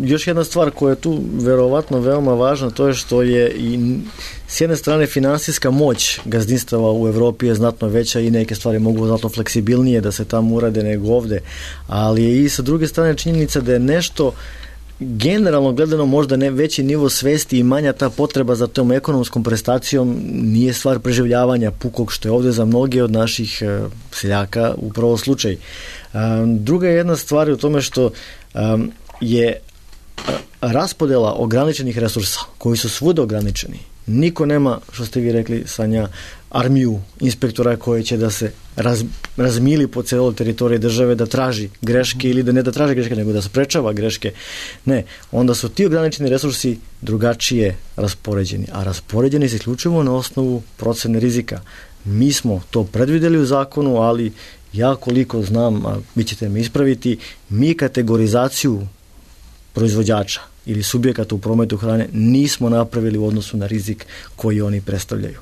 Još jedna stvar koja je tu verovatno veoma važna, to je što je i s jedne strane finansijska moć gazdinstava u Evropi je znatno veća i neke stvari mogu znatno fleksibilnije da se tamo urade nego ovde, ali je i sa druge strane činjenica da je nešto generalno gledano možda ne veći nivo svesti i manja ta potreba za tom ekonomskom prestacijom nije stvar preživljavanja pukog, što je ovde za mnoge od naših seljaka upravo slučaj. Druga jedna stvar je u tome što je raspodela ograničenih resursa koji su svuda ograničeni. Niko nema, što ste vi rekli, Sanja, armiju inspektora koji će da se razmili po celoj teritoriji države da traži greške ili da ne da traži greške, nego da sprečava greške. Ne, onda su ti ograničeni resursi drugačije raspoređeni, a raspoređeni se isključivo na osnovu procene rizika. Mi smo to predvideli u zakonu, ali ja koliko znam, a vi ćete me ispraviti, mi kategorizaciju proizvođača ili subjekata u prometu hrane nismo napravili u odnosu na rizik koji oni predstavljaju.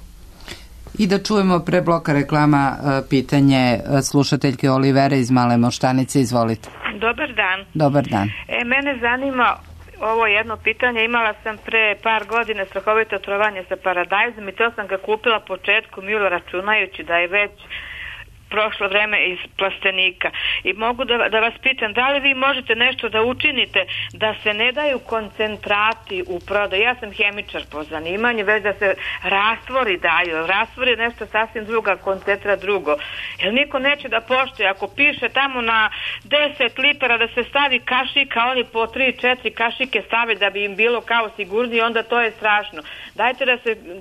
I da čujemo pre bloka reklama pitanje slušateljke Olivere iz Male Moštanice. Izvolite. Dobar dan. Dobar dan. Mene zanima ovo jedno pitanje. Imala sam pre par godina strahovito otrovanje sa paradajzom i to sam ga kupila početkom jula računajući da je već prošlo vreme iz plastenika. I mogu da vas pitam, da li vi možete nešto da učinite da se ne daju koncentrati u prodaju? Ja sam hemičar po zanimanju, već da se rastvori daju. Rastvor je nešto sasvim druga, koncentrat drugo. Jer niko neće da poštuje. Ako piše tamo na 10 litara da se stavi kašika, oni po 3-4 kašike stave da bi im bilo kao sigurniji, onda to je strašno. Dajte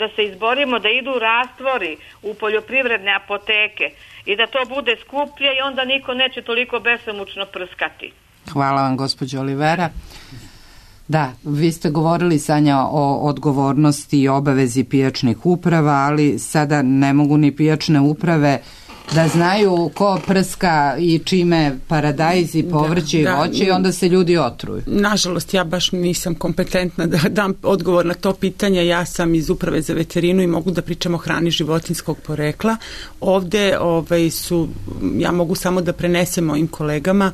da se izborimo da idu rastvori u poljoprivredne apoteke i da to bude skuplje i onda niko neće toliko besomučno prskati. Hvala vam, gospođo Olivera. Da, vi ste govorili, Sanja, o odgovornosti i obavezi pijačnih uprava, ali sada ne mogu ni pijačne uprave da znaju ko prska i čime paradajz i povrće i voće i onda se ljudi otruju. Nažalost, ja baš nisam kompetentna da dam odgovor na to pitanje. Ja sam iz Uprave za veterinu i mogu da pričam o hrani životinjskog porekla. Ovde ja mogu samo da prenesem mojim kolegama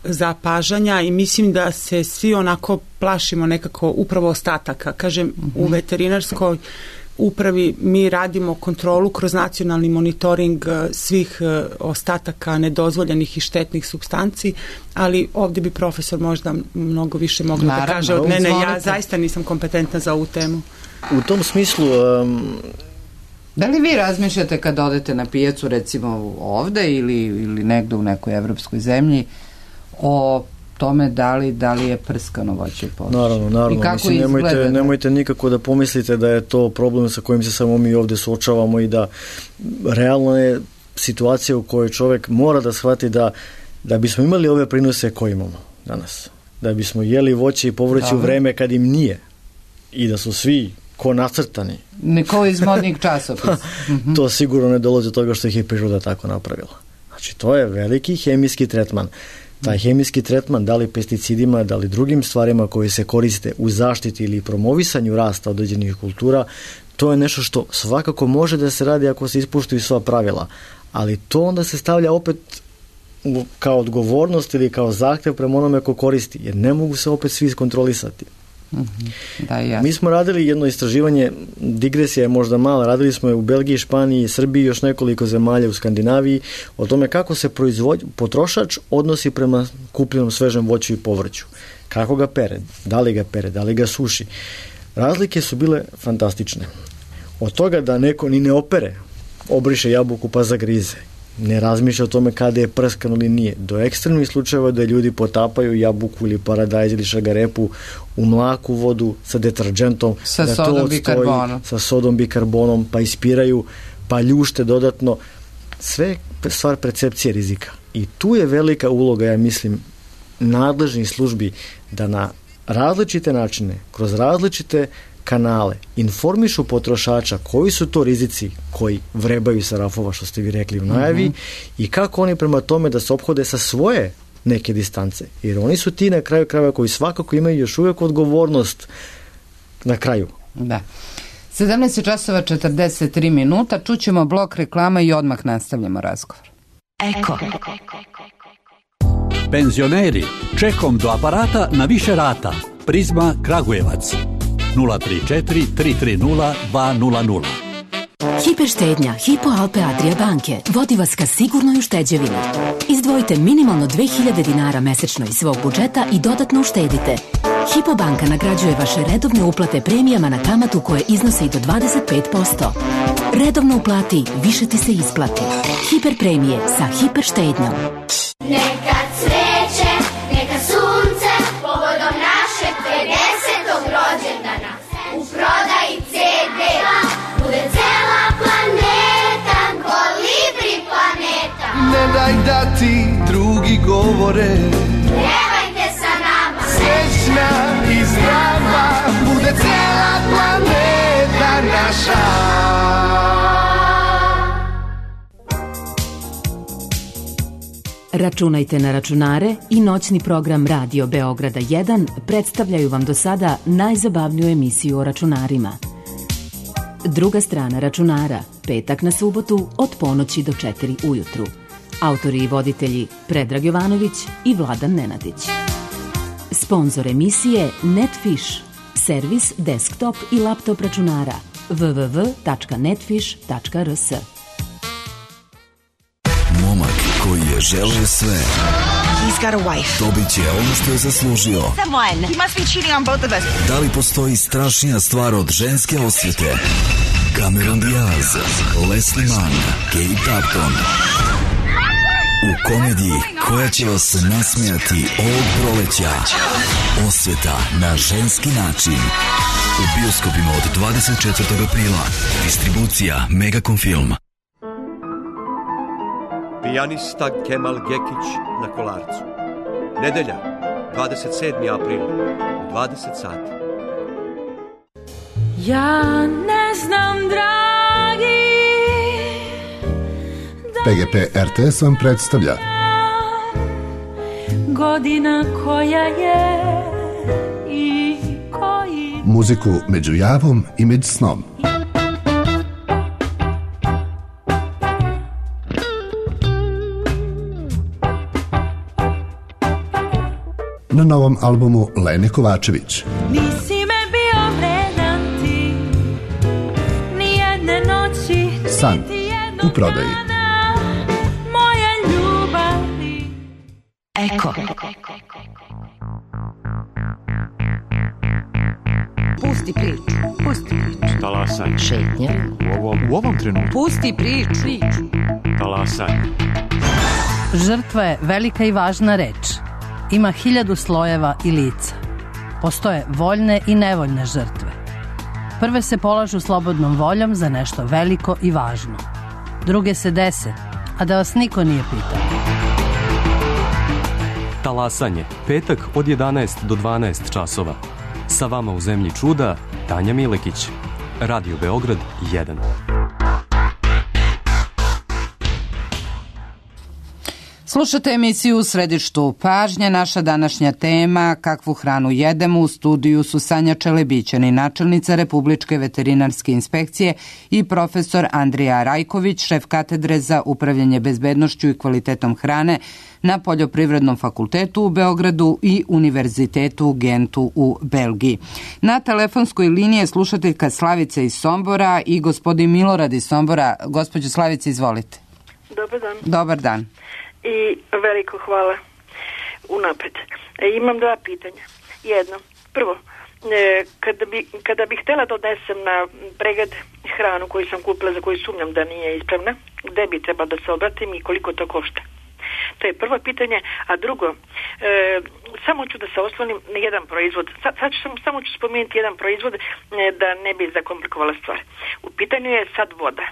zapažanja i mislim da se svi onako plašimo nekako upravo ostataka. Kažem, u veterinarskoj upravi mi radimo kontrolu kroz nacionalni monitoring svih ostataka nedozvoljenih i štetnih supstanci, ali ovdje bi profesor možda mnogo više mogla da kaže od mene. Ja zaista nisam kompetentna za ovu temu. U tom smislu... Da li vi razmišljate kad odete na pijacu, recimo ovde ili negde u nekoj evropskoj zemlji, o tome da li je prskano voće i povrće? Naravno. Mislim, nemojte nikako da pomislite da je to problem sa kojim se samo mi ovde suočavamo i da realno je situacija u kojoj čovek mora da shvati da bismo imali ove prinose koje imamo danas, da bismo jeli voće i povrće u vreme kad im nije i da su svi ko nacrtani. Neko iz modnih časopisa. To sigurno ne dolazi od toga što ih je priroda tako napravila. Znači, to je veliki hemijski tretman. Taj hemijski tretman, da li pesticidima, da li drugim stvarima koje se koriste u zaštiti ili promovisanju rasta određenih kultura, to je nešto što svakako može da se radi ako se ispuštuju sva pravila. Ali to onda se stavlja opet kao odgovornost ili kao zahtev prema onome ko koristi, jer ne mogu se opet svi iskontrolisati. Mi smo radili jedno istraživanje, digresija je možda mala, radili smo je u Belgiji, Španiji, Srbiji, još nekoliko zemalja u Skandinaviji, o tome kako se potrošač odnosi prema kupljenom svežem voću i povrću. Kako ga pere, da li ga suši. Razlike su bile fantastične. Od toga da neko ni ne opere, obriše jabuku pa zagrize, ne razmišlja o tome kada je prskano ili nije, do ekstremnih slučajeva da ljudi potapaju jabuku ili paradajz ili šagarepu u mlaku vodu sa deterđentom, sa sodom bikarbonom, sa sodom bikarbonom, pa ispiraju, pa ljušte dodatno. Sve je stvar percepcije rizika. I tu je velika uloga, ja mislim, nadležnih službi da na različite načine, kroz različite kanale informišu potrošača koji su to rizici koji vrebaju sa rafova, što ste vi rekli u najavi, i kako oni prema tome da se ophode sa svoje neke distance. Jer oni su ti na kraju krajeva koji svakako imaju još uvijek odgovornost na kraju. Da. 17:43, čućemo blok reklama i odmah nastavljamo razgovor. Eko. Penzioneri, čekom do aparata na više rata. Prizma Kragujevac. 034 330 200. Hiperštednja Hypo Alpe Adria banke vodi vas ka sigurnoj ušteđevini. Izdvojite minimalno 2000 dinara mesečno iz svog budžeta i dodatno uštedite. Hypo banka nagrađuje vaše redovne uplate premijama na kamatu koje iznose i do 25%. Redovno uplati, više ti se isplati. Hiper premije sa hiperštednjom. Neka cveće, neka sunce, povodom našeg 50. rođendana. U prodaji CD bude cela planeta, Kolibri planeta. Ne daj da ti drugi govore, pjevajte sa nama. Srećna i zdrava bude cela planeta naša. Računajte na računare i noćni program Radio Beograda 1 predstavljaju vam do sada najzabavniju emisiju o računarima. Druga strana računara, petak na subotu od ponoći do 4 ujutru. Autori i voditelji Predrag Jovanović i Vladan Nenadić. Sponzor emisije Netfish, servis desktop i laptop računara www.netfish.rs. je želeo sve. He's got a wife. Dobit će ono što je zaslužio. Someone. He must be cheating on both of us. Da li postoji strašnija stvar od ženske osvete? Cameron Diaz, Leslie Mann, Kate Upton. U komediji koja će vas nasmijati ovog proleća. Osveta na ženski način. U bioskopima od 24. aprila. Distribucija Megacom Film. Pijanista Kemal Gekić na Kolarcu. Nedelja, 27. april, 20 sati. Ja ne znam, dragi, PGP RTS vam predstavlja godina koja je i koji muziku među javom i među snom. Na novom albumu Lene Kovačević. Nisi me bio vredan ti, ni jedne noći, San u prodaji. Moja ljubavi. Eko. Pusti priču. Pusti priču. Talasaj. Šetnja. U ovom trenutku. Pusti priču. Talasaj. Žrtva je velika i važna reč. Ima 1000 slojeva i lica. Postoje voljne i nevoljne žrtve. Prve se polažu slobodnom voljom za nešto veliko i važno. Druge se dese, a da vas niko nije pitao. Talasanje, petak od 11 do 12 časova. Sa vama u zemlji čuda, Tanja Milekić. Radio Beograd 1. Slušate emisiju U središtu pažnje. Naša današnja tema, kakvu hranu jedemo, u studiju su Sanja Čelebićani, načelnica Republičke veterinarske inspekcije, i profesor Andrija Rajković, šef katedre za upravljanje bezbednošću i kvalitetom hrane na Poljoprivrednom fakultetu u Beogradu i Univerzitetu u Gentu u Belgiji. Na telefonskoj liniji je slušateljka Slavica iz Sombora i gospodin Milorad iz Sombora. Gospođo Slavice, izvolite. Dobar dan. Dobar dan. I veliko hvala unapred. Imam 2 pitanja. Jedno, prvo, kada bih htjela da odnesem na pregled hranu koju sam kupila, za koju sumnjam da nije ispravna, gde bi trebala da se obratim i koliko to košta? To je prvo pitanje. A drugo, samo ću da se oslonim na jedan proizvod. Samo ću spomenuti jedan proizvod da ne bi zakomplikovala stvar. U pitanju je sad voda.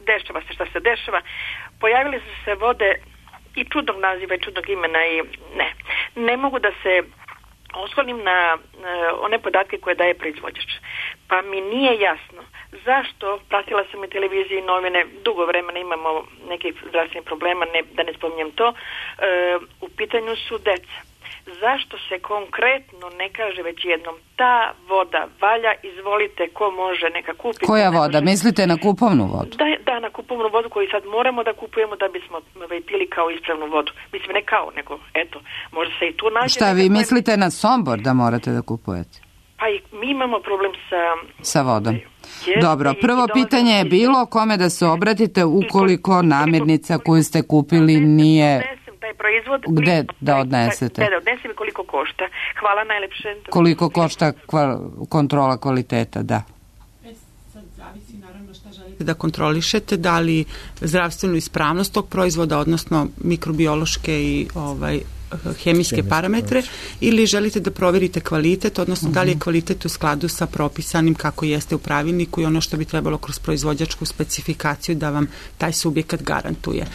Dešava se šta se dešava. Pojavile su se vode i čudnog naziva i čudnog imena i ne mogu da se oslonim na one podatke koje daje proizvođač. Pa mi nije jasno zašto, pratila sam i televiziji i novine, dugo vremena imamo nekih zdravstvenih problema, da ne spominjem to, u pitanju su deca. Zašto se konkretno ne kaže već jednom ta voda valja, izvolite, ko može neka kupi. Koja voda? Mislite na kupovnu vodu? Da, na kupovnu vodu koju sad moramo da kupujemo da bismo pili kao ispravnu vodu. Mislim, ne kao, nego eto, možda se i tu nađe. Šta, vi mislite na Sombor da morate da kupujete? Pa i mi imamo problem sa vodom. Dobro, prvo pitanje je bilo kome da se obratite ukoliko namirnica koju ste kupili nije... taj proizvod. Gde da odnesete? Da odnesem i koliko košta. Hvala najlepše. Koliko košta kontrola kvaliteta, da. Sad zavisi naravno šta želite da kontrolišete, da li zdravstvenu ispravnost tog proizvoda, odnosno mikrobiološke i hemijske parametre, ili želite da proverite kvalitet, odnosno da li je kvalitet u skladu sa propisanim kako jeste u pravilniku i ono što bi trebalo kroz proizvođačku specifikaciju da vam taj subjekat garantuje.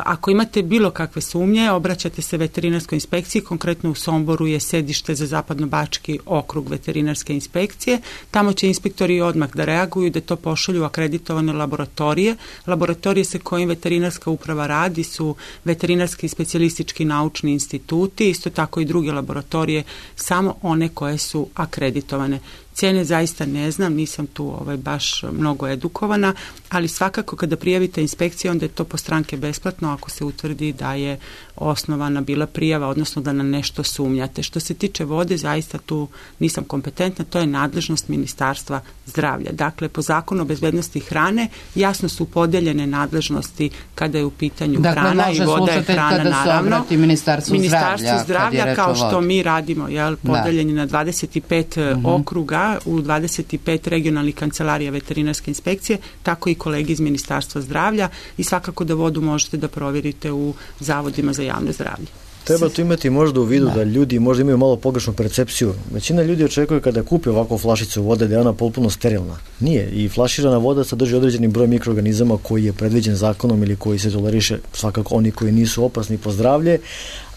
Ako imate bilo kakve sumnje, obraćate se veterinarskoj inspekciji, konkretno u Somboru je sedište za Zapadnobački okrug veterinarske inspekcije. Tamo će inspektori odmah da reaguju, da to pošalju akreditovane laboratorije. Laboratorije sa kojim veterinarska uprava radi su veterinarski i specijalistički naučni instituti, isto tako i druge laboratorije, samo one koje su akreditovane. Cijene zaista ne znam, nisam tu baš mnogo edukovana, ali svakako kada prijavite inspekciju, onda je to po stranke besplatno ako se utvrdi da je osnovana bila prijava, odnosno da na nešto sumnjate. Što se tiče vode, zaista tu nisam kompetentna, to je nadležnost Ministarstva zdravlja. Dakle, po zakonu o bezbednosti hrane jasno su podeljene nadležnosti kada je u pitanju hrana i voda je hrana, naravno. Ministarstvo zdravlja kao što mi radimo, podeljeni na 25 okruga u 25 regionalnih kancelarija veterinarske inspekcije, tako i kolegi iz Ministarstva zdravlja i svakako da vodu možete da provjerite u zavodima za javno zdravlje. Treba tu imati možda u vidu da ljudi možda imaju malo pogrešnu percepciju. Većina ljudi očekuje kada kupi ovakvu flašicu vode da je ona potpuno sterilna. Nije. I flaširana voda sadrži određeni broj mikroorganizama koji je predviđen zakonom ili koji se toleriše, svakako oni koji nisu opasni po zdravlje,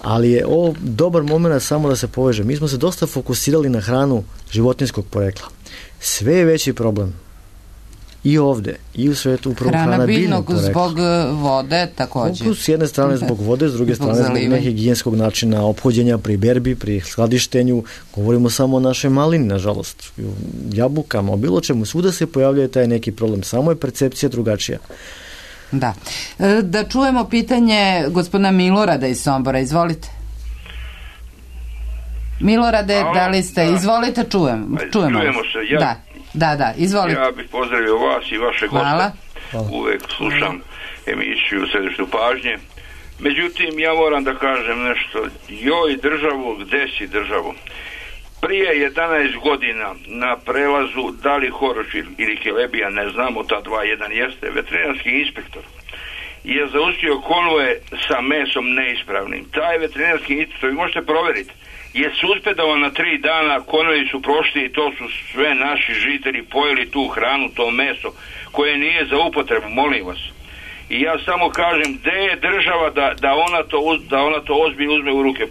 ali je ovo dobar moment samo da se poveže. Mi smo se dosta fokusirali na hranu životinjskog porekla. Sve je veći problem i ovde, i u svetu upravo hrana biljnog porekla. Zbog vode također. S jedne strane zbog vode, s druge strane zbog nehigijenskog načina ophođenja pri berbi, pri skladištenju. Govorimo samo o našoj malini, nažalost. Jabukama, o bilo čemu. Svuda se pojavljuje taj neki problem. Samo je percepcija drugačija. Da. Da čujemo pitanje gospodina Milorada iz Sombora. Izvolite. Milorade, da li ste? Izvolite, čujemo se. Da, izvolite. Ja bih pozdravio vas i vaše goste. Uvek slušam emisiju Središtu pažnje. Međutim, ja moram da kažem nešto. Joj državu, gde si državu? Prije 11 godina na prelazu da li Horošil ili Kelebija, ne znamo, ta dva, jedan jeste, veterinarski inspektor je zaustavio konvoje sa mesom neispravnim. Taj veterinarski inspektor, vi možete provjeriti, je suspendovan na 3 dana, konvoji su prošli i to su sve naši žitelji pojeli tu hranu, to meso koje nije za upotrebu, molim vas. I ja samo kažem, gde je država da ona to ozbiljno uzme u ruke.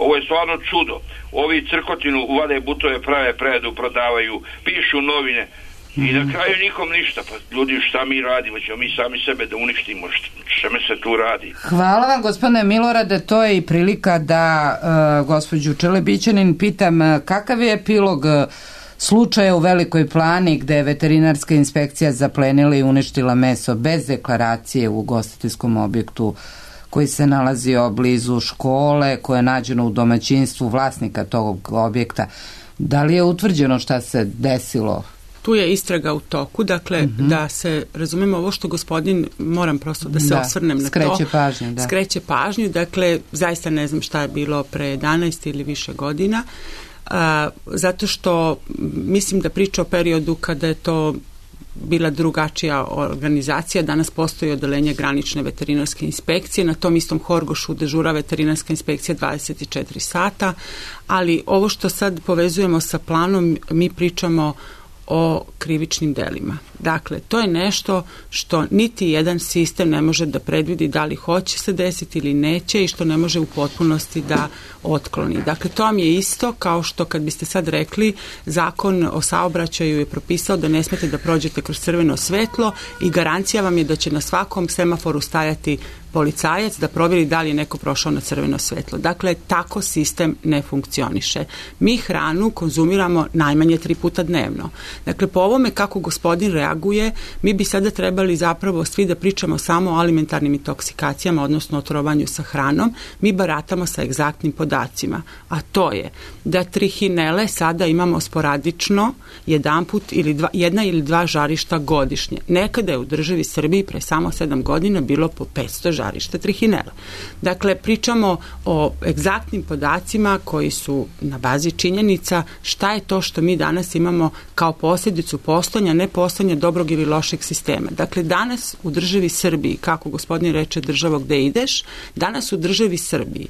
Ovo je stvarno čudo. Ovi crkotinu vade butove, prave predu, prodavaju, pišu novine i na kraju nikom ništa. Pa ljudi, šta mi radimo? Ćemo mi sami sebe da uništimo? Čemu se tu radi? Hvala vam, gospodine Milorade. To je i prilika da gospođu Čelebićanin pitam kakav je epilog slučaja u Velikoj Plani gde je veterinarska inspekcija zaplenila i uništila meso bez deklaracije u ugostiteljskom objektu koji se nalazio blizu škole, koje je nađeno u domaćinstvu vlasnika tog objekta. Da li je utvrđeno šta se desilo? Tu je istraga u toku, dakle da se razumemo ovo što gospodin, moram prosto da se osvrnem na to. Skreće pažnju, dakle zaista ne znam šta je bilo pre 11 ili više godina. Zato što mislim da priča o periodu kada je to bila drugačija organizacija. Danas postoji odeljenje granične veterinarske inspekcije, na tom istom Horgošu dežura veterinarska inspekcija 24 sata, ali ovo što sad povezujemo sa planom, mi pričamo o krivičnim delima. Dakle, to je nešto što niti jedan sistem ne može da predvidi da li hoće se desiti ili neće i što ne može u potpunosti da otkloni. Dakle, to vam je isto kao što kad biste sad rekli, zakon o saobraćaju je propisao da ne smete da prođete kroz crveno svetlo i garancija vam je da će na svakom semaforu stajati policajac da provjeri da li je neko prošao na crveno svetlo. Dakle, tako sistem ne funkcioniše. Mi hranu konzumiramo najmanje 3 puta dnevno. Dakle, po ovome kako gospodin reaguje, mi bi sada trebali zapravo svi da pričamo samo o alimentarnim intoksikacijama, odnosno otrovanju sa hranom. Mi baratamo sa egzaktnim podacima, a to je da trihinele sada imamo sporadično jedna ili dva žarišta godišnje. Nekada je u državi Srbiji pre samo 7 godina bilo po 500 žarišta trihinela. Dakle, pričamo o egzaktnim podacima koji su na bazi činjenica šta je to što mi danas imamo kao posljedicu postojanja, ne postojanja dobrog ili lošeg sistema. Dakle, danas u državi Srbiji, kako gospodin reče državo gde ideš, danas u državi Srbiji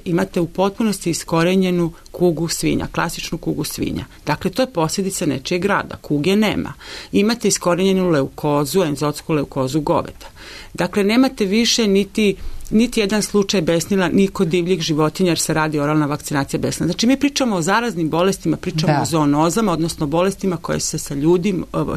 imate u potpunosti iskorenjenu kugu svinja, klasičnu kugu svinja. Dakle, to je posljedica nečijeg rada. Kuge nema. Imate iskorenjenu leukozu, enzotsku leukozu goveda. Dakle, nemate više niti jedan slučaj besnila ni kod divljih životinja jer se radi oralna vakcinacija besnila. Znači, mi pričamo o zaraznim bolestima, pričamo o zoonozama, odnosno bolestima koje se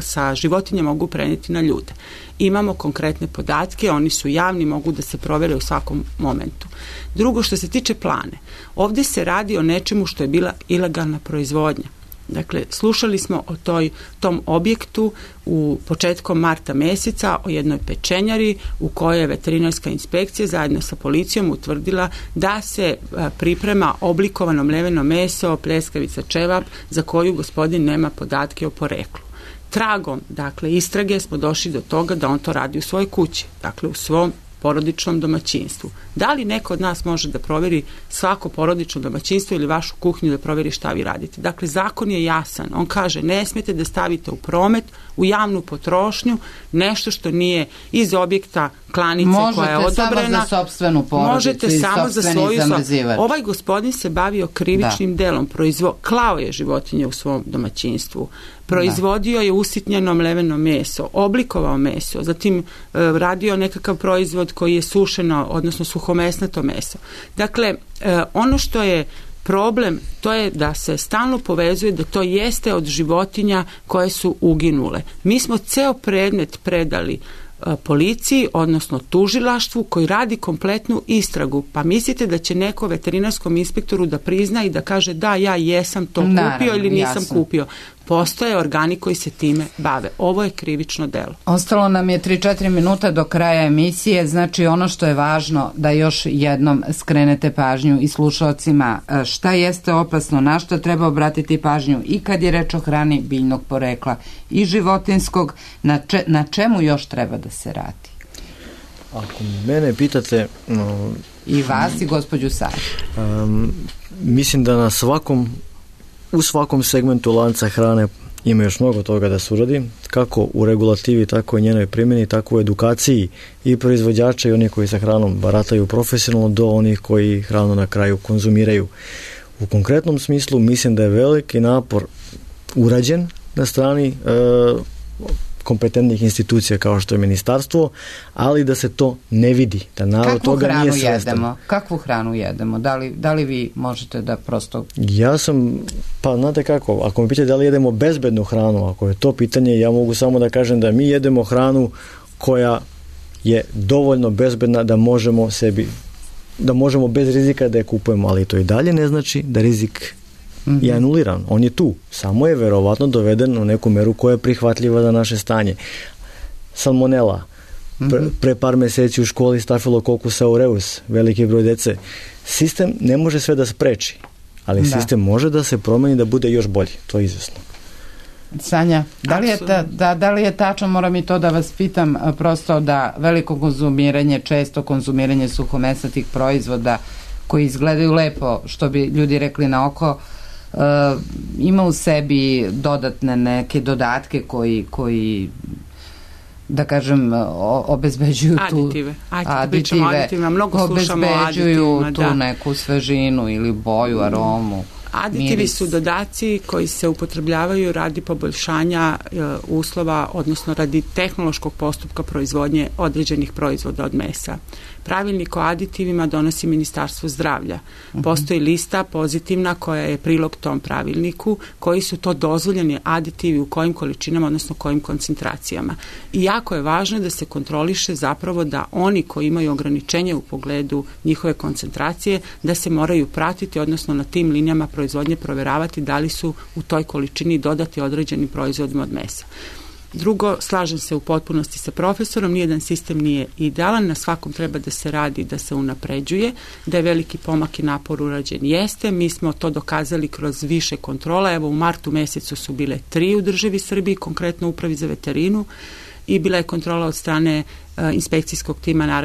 sa životinjama mogu prenijeti na ljude. Imamo konkretne podatke, oni su javni, mogu da se provere u svakom momentu. Drugo, što se tiče Plane, ovdje se radi o nečemu što je bila ilegalna proizvodnja. Dakle, slušali smo o tom objektu u početkom marta meseca o jednoj pečenjari u kojoj je veterinarska inspekcija zajedno sa policijom utvrdila da se priprema oblikovano mleveno meso, pljeskavica, ćevap za koju gospodin nema podatke o poreklu. Tragom, dakle, istrage smo došli do toga da on to radi u svojoj kući, dakle u svom porodičnom domaćinstvu. Da li neko od nas može da proveri svako porodično domaćinstvo ili vašu kuhinju da proveri šta vi radite? Dakle, zakon je jasan. On kaže ne smijete da stavite u promet, u javnu potrošnju nešto što nije iz objekta klanice koja je odobrena. Možete samo za sopstvenu porodicu. Možete samo za svoju zamrzivač. Ovaj gospodin se bavio krivičnim delom. Klao je životinje u svom domaćinstvu. Proizvodio je usitnjeno mleveno meso, oblikovao meso, zatim radio nekakav proizvod koji je sušeno, odnosno suhomesnato meso. Dakle, ono što je problem, to je da se stalno povezuje da to jeste od životinja koje su uginule. Mi smo ceo predmet predali policiji, odnosno tužilaštvu koji radi kompletnu istragu. Pa mislite da će neko veterinarskom inspektoru da prizna i da kaže da, ja jesam to kupio ili nisam kupio. Postoje organi koji se time bave. Ovo je krivično delo. Ostalo nam je 3-4 minuta do kraja emisije, znači ono što je važno da još jednom skrenete pažnju i slušalcima šta jeste opasno, na što treba obratiti pažnju i kad je reč o hrani biljnog porekla i životinskog, na čemu još treba da se radi? Ako mene pitate... I vas i gospođu Sari. Mislim da u svakom segmentu lanca hrane ima još mnogo toga da se uradi, kako u regulativi, tako i njenoj primjeni, tako u edukaciji i proizvođača i oni koji sa hranom barataju profesionalno do onih koji hranu na kraju konzumiraju. U konkretnom smislu mislim da je veliki napor urađen na strani kompetentnih institucija kao što je ministarstvo, ali da se to ne vidi, da narod toga nije svestan. Kakvu hranu jedemo? Da li vi možete da prosto... Ja sam, pa znate kako, ako me pitate da li jedemo bezbednu hranu, ako je to pitanje, ja mogu samo da kažem da mi jedemo hranu koja je dovoljno bezbedna da možemo bez rizika da je kupujemo, ali to i dalje ne znači da rizik je anuliran. On je tu. Samo je verovatno doveden u neku meru koja je prihvatljiva za naše stanje. Salmonela. Pre par meseci u školi Staphylococcus aureus, veliki broj dece. Sistem ne može sve da spreči, ali sistem može da se promeni da bude još bolji. To je izvesno. Sanja, da li je tačno, moram i to da vas pitam, prosto da veliko konzumiranje, često konzumiranje suhomesnatih proizvoda koji izgledaju lepo, što bi ljudi rekli na oko, ima u sebi dodatne neke dodatke koji da kažem obezbeđuju aditive, mnogo slušamo o aditivima, tu neku svežinu ili boju, aromu. Aditivi su dodaci koji se upotrebljavaju radi poboljšanja uslova, odnosno radi tehnološkog postupka proizvodnje određenih proizvoda od mesa. Pravilnik o aditivima donosi Ministarstvo zdravlja. Postoji lista pozitivna koja je prilog tom pravilniku, koji su to dozvoljeni aditivi u kojim količinama, odnosno kojim koncentracijama. I jako je važno da se kontroliše zapravo da oni koji imaju ograničenje u pogledu njihove koncentracije, da se moraju pratiti, odnosno na tim linijama proizvodnje proveravati da li su u toj količini dodati određenim proizvodima od mesa. Drugo, slažem se u potpunosti sa profesorom, nijedan sistem nije idealan, na svakom treba da se radi, da se unapređuje, da je veliki pomak i napor urađen jeste. Mi smo to dokazali kroz više kontrola. Evo, u martu mesecu su bile 3 u državi Srbiji, konkretno Upravi za veterinu, i bila je kontrola od strane inspekcijskog tima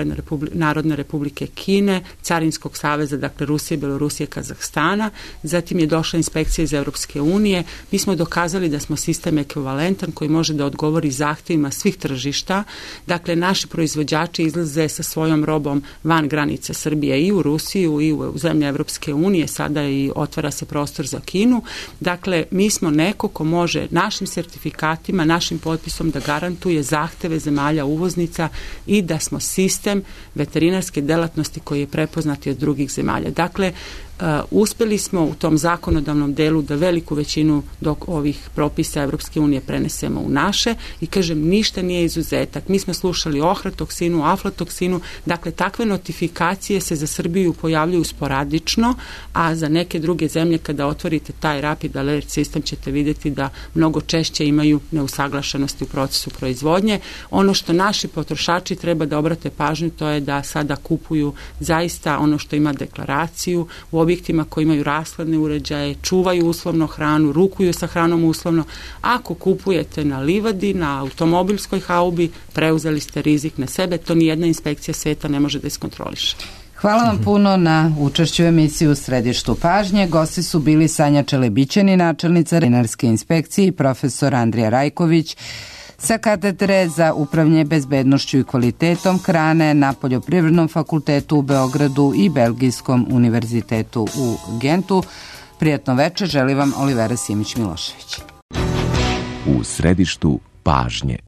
Narodne republike Kine, Carinskog saveza, dakle Rusije, Belorusije, Kazahstana, zatim je došla inspekcija iz Evropske unije. Mi smo dokazali da smo sistem ekvivalentan koji može da odgovori zahtevima svih tržišta. Dakle, naši proizvođači izlaze sa svojom robom van granice Srbije i u Rusiju i u zemlje Evropske unije, sada i otvara se prostor za Kinu. Dakle, mi smo neko ko može našim sertifikatima, našim potpisom da garantuje zahteve zemalja uvoznica i da smo sistem veterinarske delatnosti koji je prepoznati od drugih zemalja. Dakle, Uspeli smo u tom zakonodavnom delu da veliku većinu ovih propisa Evropske unije prenesemo u naše i kažem, ništa nije izuzetak. Mi smo slušali o ohratoksinu, aflatoksinu, dakle takve notifikacije se za Srbiju pojavljuju sporadično, a za neke druge zemlje kada otvorite taj Rapid Alert System ćete vidjeti da mnogo češće imaju neusaglašenosti u procesu proizvodnje. Ono što naši potrošači treba da obrate pažnju, to je da sada kupuju zaista ono što ima deklaraciju u objektima koji imaju rashladne uređaje, čuvaju uslovno hranu, rukuju sa hranom uslovno. Ako kupujete na livadi, na automobilskoj haubi, preuzeli ste rizik na sebe, to nijedna inspekcija sveta ne može da iskontroliše. Hvala vam puno na učešću u emisiji U središtu pažnje. Gosti su bili Sanja Čelebićani, načelnica veterinarske inspekcije, i profesor Andrija Rajković sa katedre za upravljanje bezbednošću i kvalitetom hrane na Poljoprivrednom fakultetu u Beogradu i Belgijskom univerzitetu u Gentu. Prijatno večer, želi vam Olivera Simić-Milošević. U središtu pažnje.